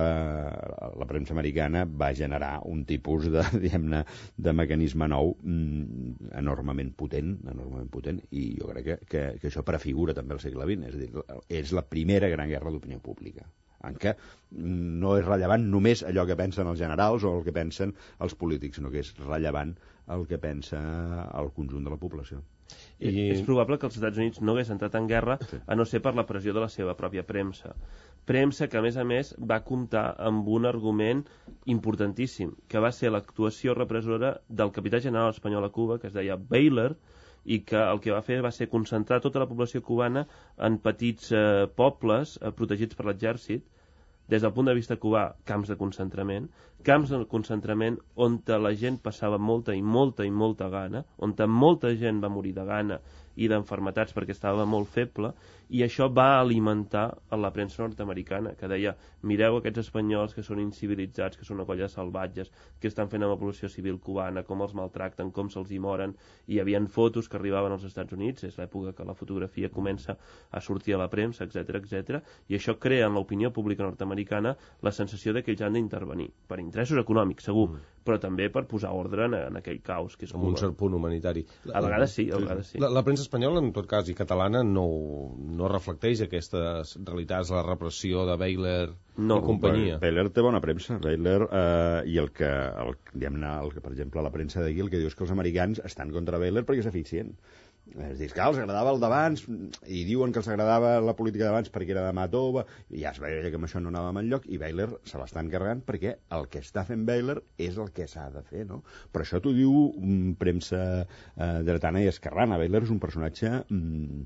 la premsa americana va generar un tipus de, diguem-ne, de mecanisme nou mm, enormement potent, enormement potent, i jo crec que, que, que això prefigura també el segle vint, és a dir, és la primera gran guerra d'opinió pública, en què no és rellevant només allò que pensen els generals o el que pensen els polítics, sinó que és rellevant el que pensa el conjunt de la població. I... És probable que els Estats Units no hagués entrat en guerra sí. a no ser per la pressió de la seva pròpia premsa. Premsa que, a més a més, va comptar amb un argument importantíssim, que va ser l'actuació repressora del capità general espanyol a Cuba, que es deia Baylor, i que el que va fer va ser concentrar tota la població cubana en petits eh, pobles eh, protegits per l'exèrcit, des del punt de vista cubà, camps de concentrament, camps de concentrament on la gent passava molta i molta i molta gana, on molta gent va morir de gana i d'enfermetats perquè estava molt feble, i això va alimentar a la premsa nord-americana, que deia, mireu aquests espanyols que són incivilitzats, que són una colla de salvatges, que estan fent amb la població civil cubana, com els maltracten, com se'ls hi moren, i hi havia fotos que arribaven als Estats Units, és l'època que la fotografia comença a sortir a la premsa, etcètera, etcètera, i això crea en l'opinió pública nord-americana la sensació de que ells han d'intervenir, per interessos econòmics, segur, mm. però també per posar ordre en, en aquell caos que és amb un cert punt humanitari. A vegades sí, a vegades sí. La, la premsa espanyola, en tot cas, i catalana, no, no reflecteix aquestes realitats, la repressió de Bayler no, i companyia. Bayler té bona premsa, Bayler, eh, i el que, el, diguem-ne, el que, per exemple, la premsa d'aquí, el que diu és que els americans estan contra Bayler perquè és eficient. Es diu que els agradava el d'abans, i diuen que els agradava la política d'abans perquè era de mà tova, i ja es veia que amb això no anava enlloc, i Bayler se l'està encarregant perquè el que està fent Bayler és el que s'ha de fer, no? Però això t'ho diu um, premsa eh, dretana i esquerrana. Bayler és un personatge um,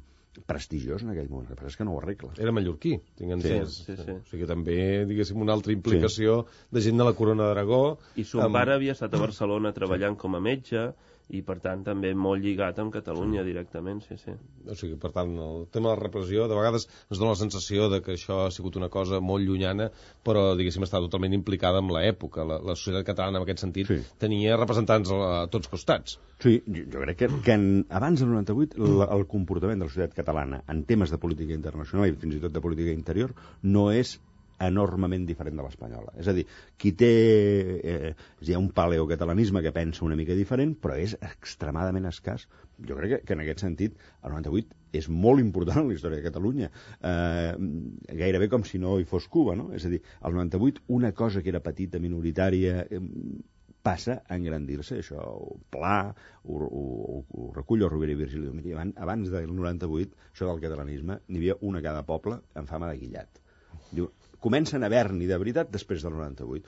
prestigiós en aquell moment, el que passa és que no ho arregla. Era mallorquí, tinc entès. Sí, sí, sí. O sigui que també, diguéssim, una altra implicació sí. de gent de la Corona d'Aragó. I son amb... pare havia estat a Barcelona treballant sí. com a metge, i per tant també molt lligat amb Catalunya sí. directament, sí, sí. O sigui, per tant, el tema de la repressió de vegades ens dona la sensació de que això ha sigut una cosa molt llunyana, però diguéssim està totalment implicada amb l'època. La, la societat catalana en aquest sentit sí. tenia representants a, a tots costats. Sí, jo, jo crec que, que en, abans del noranta-vuit la, el comportament de la societat catalana en temes de política internacional i fins i tot de política interior no és enormement diferent de l'espanyola. És a dir, qui té... Eh, hi ha un paleocatalanisme que pensa una mica diferent, però és extremadament escàs. Jo crec que, que en aquest sentit el noranta-vuit és molt important en la història de Catalunya. Eh, gairebé com si no hi fos Cuba, no? És a dir, al noranta-vuit una cosa que era petita, minoritària... Eh, passa a engrandir-se, això, Pla, ho, ho, ho recull el Rovira i Virgili. Abans, abans del noranta-vuit, això del catalanisme, n'hi havia una a cada poble en fama de guillat. Diu, comencen a haver-n'hi de veritat després del noranta-vuit.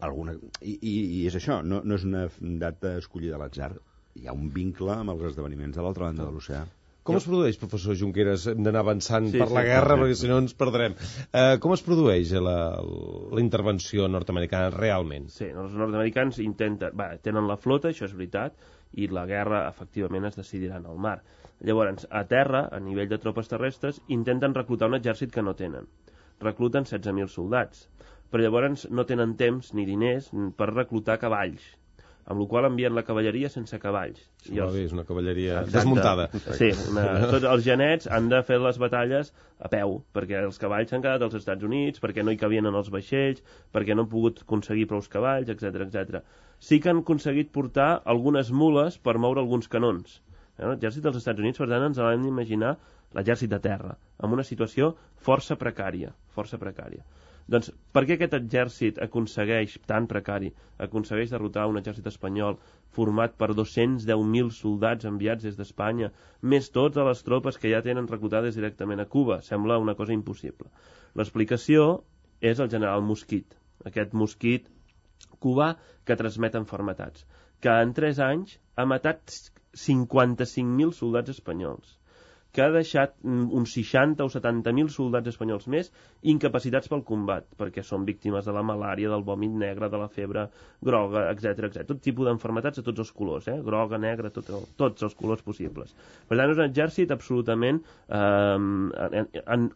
Alguna... I, i, I és això, no, no és una data escollida a l'atzar. Hi ha un vincle amb els esdeveniments de l'altra banda de l'oceà. Com es produeix, professor Junqueras? Hem d'anar avançant sí, per sí, la guerra, sí. perquè si no ens perdrem. Uh, com es produeix la, la intervenció nord-americana realment? Sí, els nord-americans intenten... Va, tenen la flota, això és veritat, i la guerra, efectivament, es decidirà en el mar. Llavors, a terra, a nivell de tropes terrestres, intenten reclutar un exèrcit que no tenen. Recluten setze mil soldats, però llavors no tenen temps ni diners per reclutar cavalls, amb la qual envien la cavalleria sense cavalls. I els... És una cavalleria Exacte. desmuntada. Sí, una... tots els genets han de fer les batalles a peu, perquè els cavalls s'han quedat als Estats Units, perquè no hi cabien en els vaixells, perquè no han pogut aconseguir prou cavalls, etcètera, etcètera. Sí que han aconseguit portar algunes mules per moure alguns canons. L'exèrcit dels Estats Units, per tant, ens l'hem d'imaginar l'exèrcit de terra, amb una situació força precària, força precària. Doncs per què aquest exèrcit aconsegueix, tan precari, aconsegueix derrotar un exèrcit espanyol format per dos-cents deu mil soldats enviats des d'Espanya, més totes les tropes que ja tenen reclutades directament a Cuba? Sembla una cosa impossible. L'explicació és el general Mosquit, aquest mosquit cubà que transmet enfermetats, que en tres anys ha matat cinquanta-cinc mil soldats espanyols, que ha deixat uns seixanta o setanta mil soldats espanyols més incapacitats pel combat, perquè són víctimes de la malària, del vòmit negre, de la febre groga, etcètera, etcètera. Tot tipus d'enfermetats de tots els colors, eh? Groga, negra, tot, tots els colors possibles. Per tant, és un exèrcit absolutament eh, en, en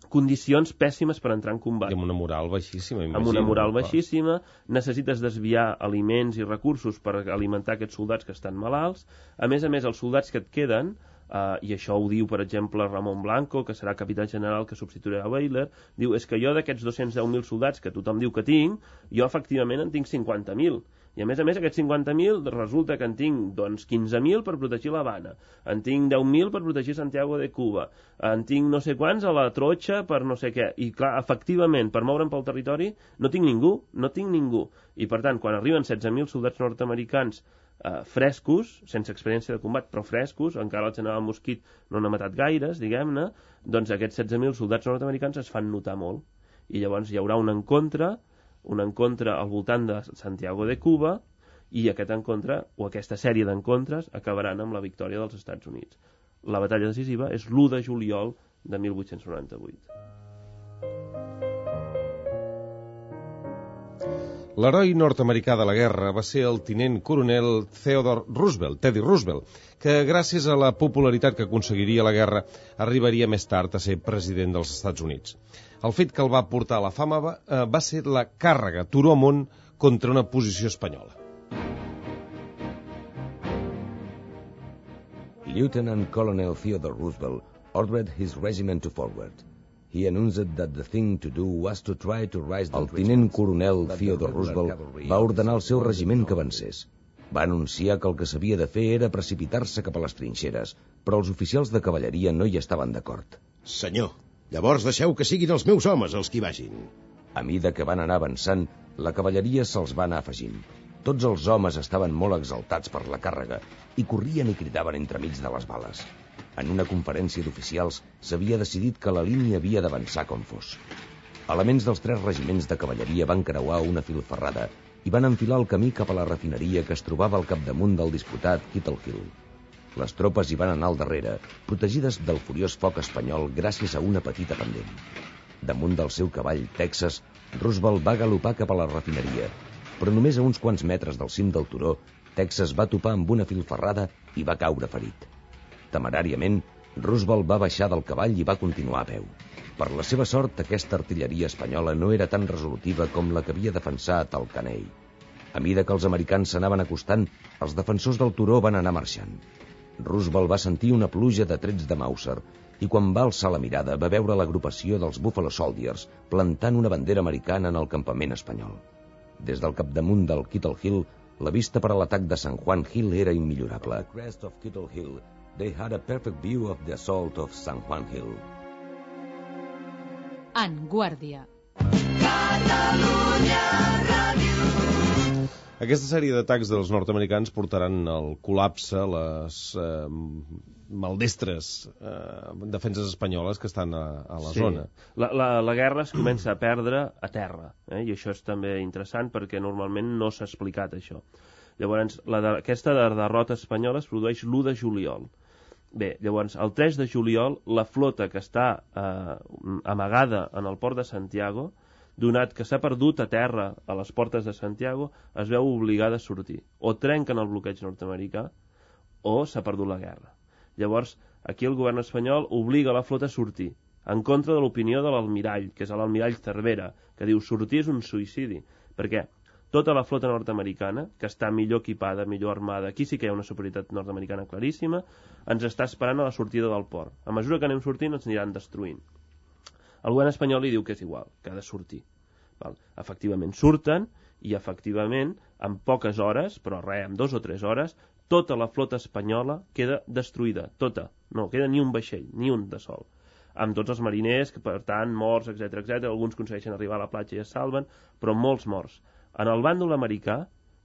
condicions pèssimes per entrar en combat. I amb una moral baixíssima, imagino. Amb una moral baixíssima, necessites desviar aliments i recursos per alimentar aquests soldats que estan malalts. A més a més, els soldats que et queden, Uh, i això ho diu, per exemple, Ramon Blanco, que serà capità general que substituirà a Bayler, diu, és que jo d'aquests dos-cents deu mil soldats que tothom diu que tinc, jo efectivament en tinc cinquanta mil. I a més a més aquests cinquanta mil resulta que en tinc doncs, quinze mil per protegir l'Havana, en tinc deu mil per protegir Santiago de Cuba, en tinc no sé quants a la Totxa per no sé què. I clar, efectivament, per moure'm pel territori no tinc ningú, no tinc ningú. I per tant, quan arriben setze mil soldats nord-americans Uh, frescos, sense experiència de combat, però frescos, encara el general Mosquit no n'ha matat gaires, diguem-ne, doncs aquests setze mil soldats nord-americans es fan notar molt. I llavors hi haurà un encontre, un encontre al voltant de Santiago de Cuba, i aquest encontre, o aquesta sèrie d'encontres, acabaran amb la victòria dels Estats Units. La batalla decisiva és l'u de juliol de mil vuit-cents noranta-vuit. L'heroi nord-americà de la guerra va ser el tinent coronel Theodore Roosevelt, Teddy Roosevelt, que gràcies a la popularitat que aconseguiria la guerra arribaria més tard a ser president dels Estats Units. El fet que el va portar a la fama va, eh, va ser la càrrega turó amunt contra una posició espanyola. Lieutenant Colonel Theodore Roosevelt ordered his regiment to forward. He announced that the thing to do was to try to rise the... El tinent coronel Theodore Roosevelt va ordenar al seu regiment que avancés. Va anunciar que el que s'havia de fer era precipitar-se cap a les trinxeres, però els oficials de cavalleria no hi estaven d'acord. Senyor, llavors deixeu que siguin els meus homes els que hi vagin. A mida que van anar avançant, la cavalleria se'ls va anar afegint. Tots els homes estaven molt exaltats per la càrrega i corrien i cridaven entremig de les bales. En una conferència d'oficials s'havia decidit que la línia havia d'avançar com fos. Elements dels tres regiments de cavalleria van creuar una filferrada i van enfilar el camí cap a la refineria que es trobava al capdamunt del disputat Kettle Hill. Les tropes hi van anar al darrere, protegides del furiós foc espanyol gràcies a una petita pendent. Damunt del seu cavall, Texas, Roosevelt va galopar cap a la refineria, però només a uns quants metres del cim del turó, Texas va topar amb una filferrada i va caure ferit. Temeràriament, Roosevelt va baixar del cavall i va continuar a peu. Per la seva sort, aquesta artilleria espanyola no era tan resolutiva com la que havia defensat el Caney. A mida que els americans s'anaven acostant, els defensors del turó van anar marxant. Roosevelt va sentir una pluja de trets de Mauser i quan va alçar la mirada va veure l'agrupació dels Buffalo Soldiers plantant una bandera americana en el campament espanyol. Des del capdamunt del Kettle Hill, la vista per a l'atac de San Juan Hill era immillorable. At the crest of Kettle Hill, they had a perfect view of the assault of San Juan Hill. En Guàrdia. Aquesta sèrie d'atacs dels nord-americans portaran al col·lapse les eh, maldestres eh, defenses espanyoles que estan a, a la sí. zona. La, la, la guerra es comença a perdre a terra, eh? I això és també interessant perquè normalment no s'ha explicat això. Llavors, la de, aquesta derrota espanyola es produeix l'u de juliol. Bé, llavors, el tres de juliol, la flota que està eh, amagada en el port de Santiago, donat que s'ha perdut a terra a les portes de Santiago, es veu obligada a sortir. O trenquen el bloqueig nord-americà o s'ha perdut la guerra. Llavors, aquí el govern espanyol obliga la flota a sortir, en contra de l'opinió de l'almirall, que és l'almirall Cervera, que diu sortir és un suïcidi, perquè tota la flota nord-americana, que està millor equipada, millor armada, aquí sí que hi ha una superioritat nord-americana claríssima, ens està esperant a la sortida del port. A mesura que anem sortint ens aniran destruint. El govern espanyol li diu que és igual, que ha de sortir. Val? Efectivament surten i efectivament en poques hores, però res, en dos o tres hores, tota la flota espanyola queda destruïda, tota. No queda ni un vaixell, ni un de sol. Amb tots els mariners, que per tant, morts, etcètera, etcètera. Alguns aconsegueixen arribar a la platja i es salven, però molts morts. En el bàndol americà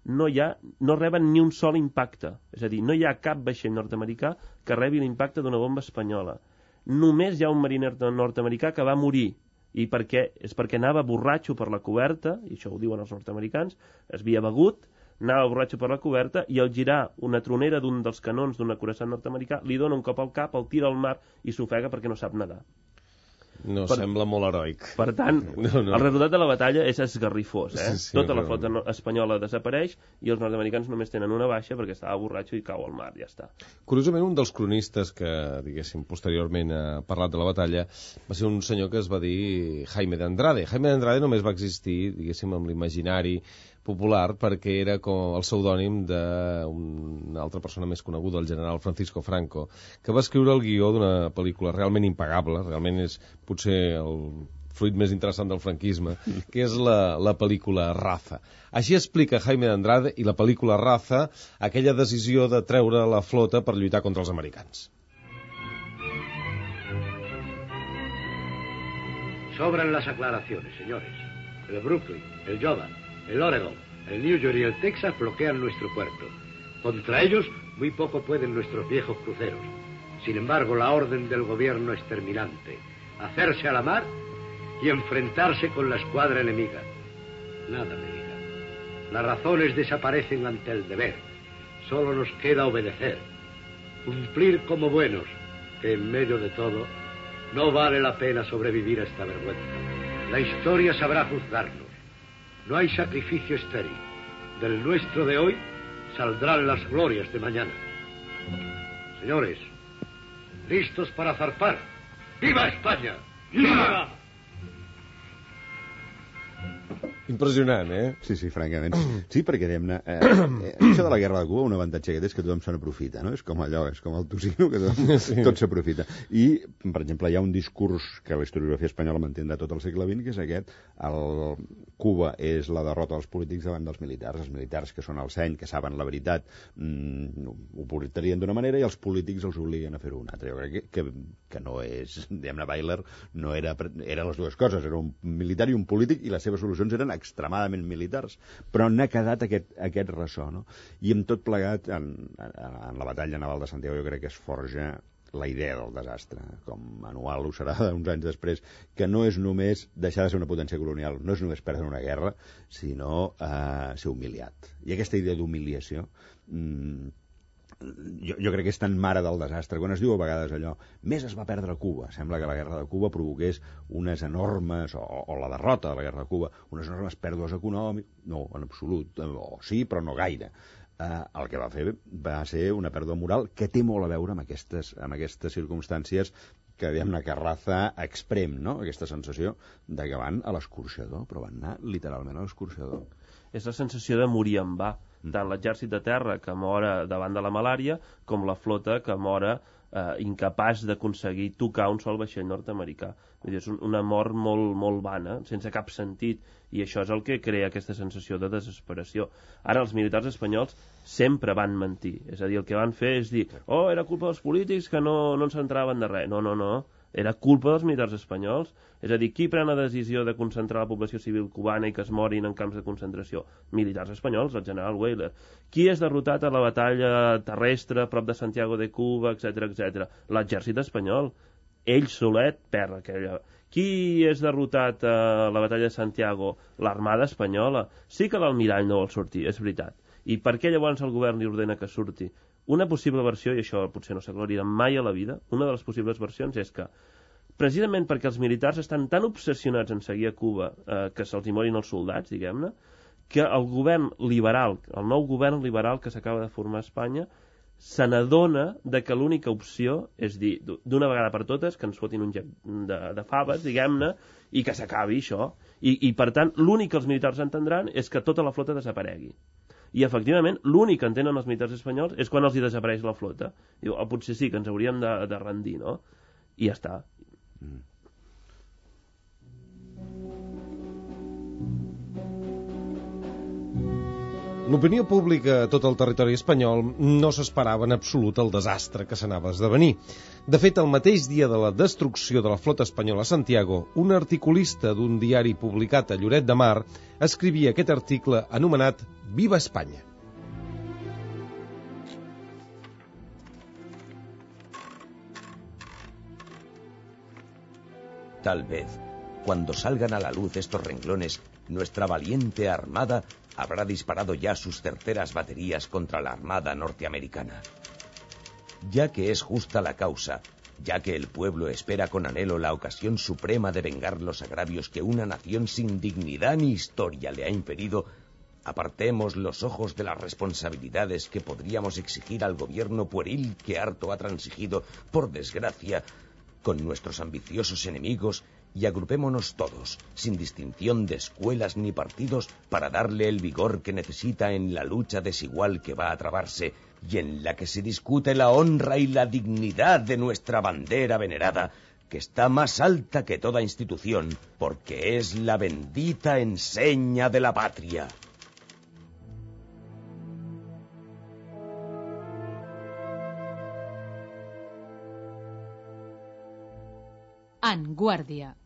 no, hi ha, no reben ni un sol impacte. És a dir, no hi ha cap vaixell nord-americà que rebi l'impacte d'una bomba espanyola. Només hi ha un mariner nord-americà que va morir, i per què? És perquè anava borratxo per la coberta, i això ho diuen els nord-americans, es havia begut, anava borratxo per la coberta, i al girar una tronera d'un dels canons d'un acoraçat nord-americà, li dona un cop al cap, el tira al mar i s'ofega perquè no sap nedar. No, per, sembla molt heroic. Per tant, no, no. El resultat de la batalla és esgarrifós, eh? Sí, sí, tota la però... flota no, espanyola desapareix i els nord-americans només tenen una baixa perquè estava borratxo i cau al mar, ja està. Curiosament, un dels cronistes que, diguéssim, posteriorment ha parlat de la batalla va ser un senyor que es va dir Jaime de Andrade. Jaime de Andrade només va existir, diguéssim, amb l'imaginari popular perquè era com el pseudònim d'una altra persona més coneguda, el general Francisco Franco, que va escriure el guió d'una pel·lícula realment impagable, realment és potser el fruit més interessant del franquisme, que és la, la pel·lícula Raza. Així explica Jaime de Andrade i la pel·lícula Raza aquella decisió de treure la flota per lluitar contra els americans. Sobran las aclaraciones, señores. El Brooklyn, el Jordan, el Oregon, el New York y el Texas bloquean nuestro puerto. Contra ellos, muy poco pueden nuestros viejos cruceros. Sin embargo, la orden del gobierno es terminante. Hacerse a la mar y enfrentarse con la escuadra enemiga. Nada me digan. Las razones desaparecen ante el deber. Solo nos queda obedecer. Cumplir como buenos, que en medio de todo no vale la pena sobrevivir a esta vergüenza. La historia sabrá juzgarnos. No hay sacrificio estéril. Del nuestro de hoy saldrán las glorias de mañana. Señores, listos para zarpar. ¡Viva España! ¡Viva! Impressionant, eh? Sí, sí, francament. Sí, perquè, diguem-ne, eh, eh, això de la guerra de Cuba, un avantatge que té és que tothom se n'aprofita, no? És com allò, és com el tocino, que tothom, sí. tot s'aprofita. I, per exemple, hi ha un discurs que la historiografia espanyola mantindrà tot el segle vint, que és aquest, el Cuba és la derrota dels polítics davant dels militars. Els militars, que són el seny, que saben la veritat, mmm, ho portarien d'una manera i els polítics els obliguen a fer-ho una altra. Jo crec que, que, que no és, diguem-ne, Bayler no era, era les dues coses, era un militar i un polític, i les seves solucions eren extremadament militars, però n'ha quedat aquest, aquest ressò, no? I amb tot plegat, en, en, en la batalla naval de Santiago jo crec que es forja la idea del desastre, com anual ho serà uns anys després, que no és només deixar de ser una potència colonial, no és només perdre una guerra, sinó eh, ser humiliat. I aquesta idea d'humiliació mmm, Jo, jo crec que és tan mare del desastre. Quan es diu a vegades allò, més es va perdre a Cuba. Sembla que la guerra de Cuba provoqués unes enormes, o, o la derrota de la guerra de Cuba, unes enormes pèrdues econòmiques. No, en absolut. O sí, però no gaire. Uh, el que va fer va ser una pèrdua moral que té molt a veure amb aquestes, amb aquestes circumstàncies que, diguem-ne, que raza exprem, no? Aquesta sensació de que van a l'escorxador, però van anar literalment a l'escorxador. És la sensació de morir en va. Tant l'exèrcit de terra, que mora davant de la malària, com la flota, que mora eh, incapaç d'aconseguir tocar un sol vaixell nord-americà. Vull dir, és una mort molt, molt vana, sense cap sentit, i això és el que crea aquesta sensació de desesperació. Ara, els militars espanyols sempre van mentir. És a dir, el que van fer és dir, oh, era culpa dels polítics que no, no ens centraven de res. No, no, no. Era culpa dels militars espanyols. És a dir, qui pren la decisió de concentrar la població civil cubana i que es morin en camps de concentració? Militars espanyols, el general Weyler. Qui és derrotat a la batalla terrestre prop de Santiago de Cuba, etcètera, etcètera? L'exèrcit espanyol. Ell solet perd aquella... Qui és derrotat a la batalla de Santiago? L'armada espanyola. Sí que l'almirall no vol sortir, és veritat. I per què llavors el govern li ordena que surti? Una possible versió, i això potser no s'aclarirà mai a la vida, una de les possibles versions és que, precisament perquè els militars estan tan obsessionats en seguir a Cuba eh, que se'ls hi morin els soldats, diguem-ne, que el govern liberal, el nou govern liberal que s'acaba de formar a Espanya, se n'adona de que l'única opció és dir, d'una vegada per totes, que ens fotin un gec de, de faves, diguem-ne, i que s'acabi això. I, I, per tant, l'únic que els militars entendran és que tota la flota desaparegui. I, efectivament, l'únic que entenen els militars espanyols és quan els hi desapareix la flota. Diu, oh, potser sí, que ens hauríem de, de rendir, no? I ja està. Mm. L'opinió pública a tot el territori espanyol no s'esperava en absolut el desastre que s'anava a esdevenir. De fet, el mateix dia de la destrucció de la flota espanyola a Santiago, un articulista d'un diari publicat a Lloret de Mar escrivia aquest article anomenat Viva España. Tal vez, cuando salgan a la luz estos renglones, nuestra valiente armada habrá disparado ya sus terceras baterías contra la armada norteamericana. Ya que es justa la causa, ya que el pueblo espera con anhelo la ocasión suprema de vengar los agravios que una nación sin dignidad ni historia le ha impedido, apartemos los ojos de las responsabilidades que podríamos exigir al gobierno pueril que harto ha transigido, por desgracia, con nuestros ambiciosos enemigos, y agrupémonos todos, sin distinción de escuelas ni partidos, para darle el vigor que necesita en la lucha desigual que va a trabarse y en la que se discute la honra y la dignidad de nuestra bandera venerada, que está más alta que toda institución, porque es la bendita enseña de la patria. En Guàrdia.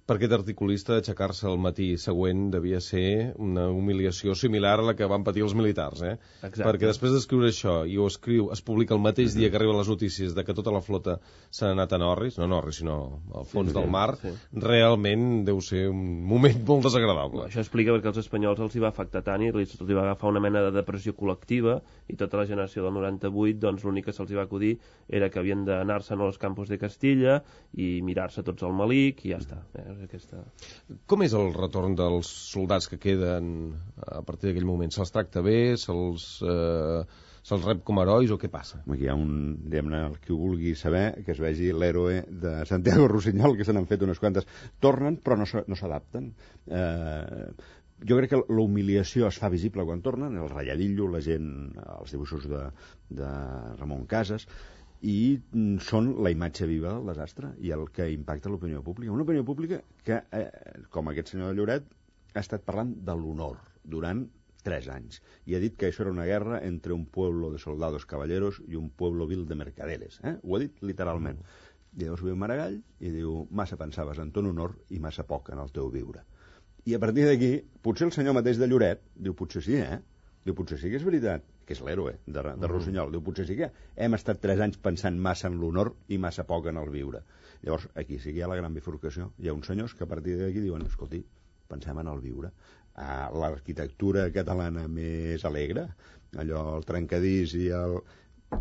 Per aquest articulista, aixecar-se el matí següent devia ser una humiliació similar a la que van patir els militars, eh? Exacte. Perquè després d'escriure això, i ho escriu, es publica el mateix dia que arriben les notícies de que tota la flota s'ha anat a Norris, no Norris, sinó al fons sí, del mar, sí. Realment deu ser un moment molt desagradable. Això explica perquè als espanyols els hi va afectar tant i els hi va agafar una mena de depressió col·lectiva, i tota la generació del noranta-vuit, doncs l'únic que se'ls va acudir era que havien d'anar-se'n als campos de Castilla i mirar-se tots al malic i ja està. Eh? aquesta... Com és el retorn dels soldats que queden a partir d'aquell moment? Se'ls tracta bé? Se'ls eh, se'ls rep com herois o què passa? Aquí hi ha un, diguem-ne, el que ho vulgui saber, que es vegi l'héroe de Santiago Rusiñol, que se n'han fet unes quantes. Tornen, però no s'adapten. Eh, jo crec que l'humiliació es fa visible quan tornen, el ratlladillo, la gent, els dibuixos de, de Ramon Casas, i són la imatge viva del desastre i el que impacta l'opinió pública. Una opinió pública que, eh, com aquest senyor de Lloret, ha estat parlant de l'honor durant tres anys i ha dit que això era una guerra entre un pueblo de soldados caballeros i un pueblo vil de mercaderes. Eh? Ho ha dit literalment. I llavors ve Maragall i diu: massa pensaves en ton honor i massa poc en el teu viure. I a partir d'aquí, potser el senyor mateix de Lloret diu: potser sí, eh? Diu: potser sí que és veritat, que és l'héroe de, de Rossinyol. Diu: potser sí que hem estat tres anys pensant massa en l'honor i massa poc en el viure. Llavors, aquí sí que hi ha la gran bifurcació. Hi ha uns senyors que a partir d'aquí diuen: escolti, pensem en el viure. Ah, l'arquitectura catalana més alegre, allò, el trencadís i el...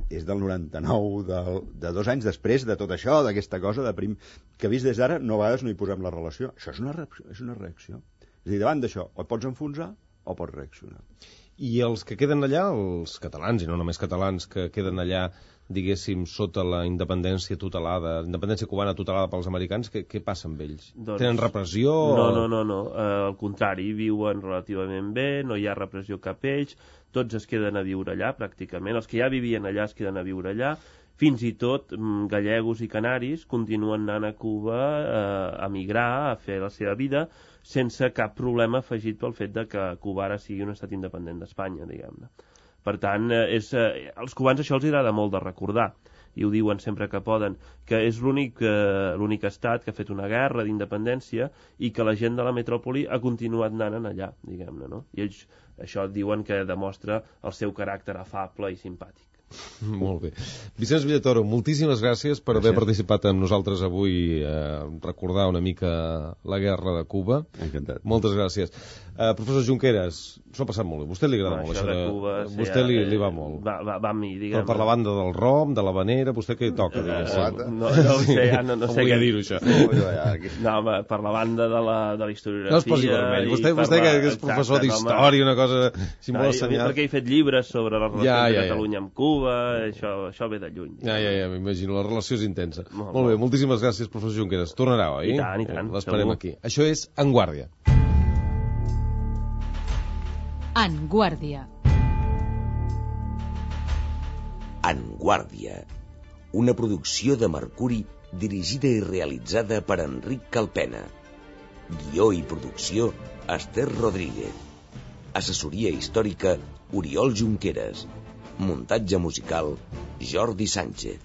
és del noranta-nou, del, de dos anys després de tot això, d'aquesta cosa de prim... que vist des d'ara, no a vegades no hi posem la relació. Això és una reacció. És una reacció. És a dir, davant d'això, o et pots enfonsar o pots reaccionar. I els que queden allà, els catalans, i no només catalans, que queden allà, diguéssim, sota la independència tutelada, independència cubana tutelada pels americans, què, què passa amb ells? Doncs... Tenen repressió? No, no, no, no. Uh, al contrari, viuen relativament bé, no hi ha repressió cap a ells, tots es queden a viure allà, pràcticament. Els que ja vivien allà es queden a viure allà. Fins i tot gallegos i canaris continuen anant a Cuba eh, a migrar, a fer la seva vida, sense cap problema afegit pel fet de que Cuba ara sigui un estat independent d'Espanya, diguem-ne. Per tant, és, eh, als cubans això els agrada molt de recordar, i ho diuen sempre que poden, que és l'únic eh, l'únic estat que ha fet una guerra d'independència i que la gent de la metròpoli ha continuat anant allà, diguem-ne, no? I ells això diuen que demostra el seu caràcter afable i simpàtic. Molt bé. Vicenç Villatoro, moltíssimes gràcies per gràcies. haver participat amb nosaltres avui, eh, recordar una mica la guerra de Cuba. Encantat. Moltes gràcies. Eh, professor Junqueras, s'ho ha passat molt bé. Vostè li agrada no, molt això això de Cuba. De... Sí, vostè li, eh, li va molt. Va, va, va amb mi, diguem. Però per la banda del rom, de l'havanera, vostè què hi toca? Eh, uh, no, no ho sé, ja no, no sé què dir-ho, això. No, home, per la banda de la, de la historiografia... No es posi vermell. Vostè, vostè la... que és professor d'història, una cosa... Si no, perquè he fet llibres sobre la relació ja, ja, de Catalunya ja. amb Cuba, això, això ve de lluny. Ja, ja, ja, m'imagino, la relació és intensa. Molt, molt bé, moltíssimes gràcies, professor Junqueras. Tornarà, oi? I tant, i tant. L'esperem aquí. Això és En Guàrdia. En Guàrdia. En Guàrdia, una producció de Mercuri dirigida i realitzada per Enric Calpena. Guió i producció, Esther Rodríguez. Assessoria històrica, Oriol Junqueras. Muntatge musical, Jordi Sánchez.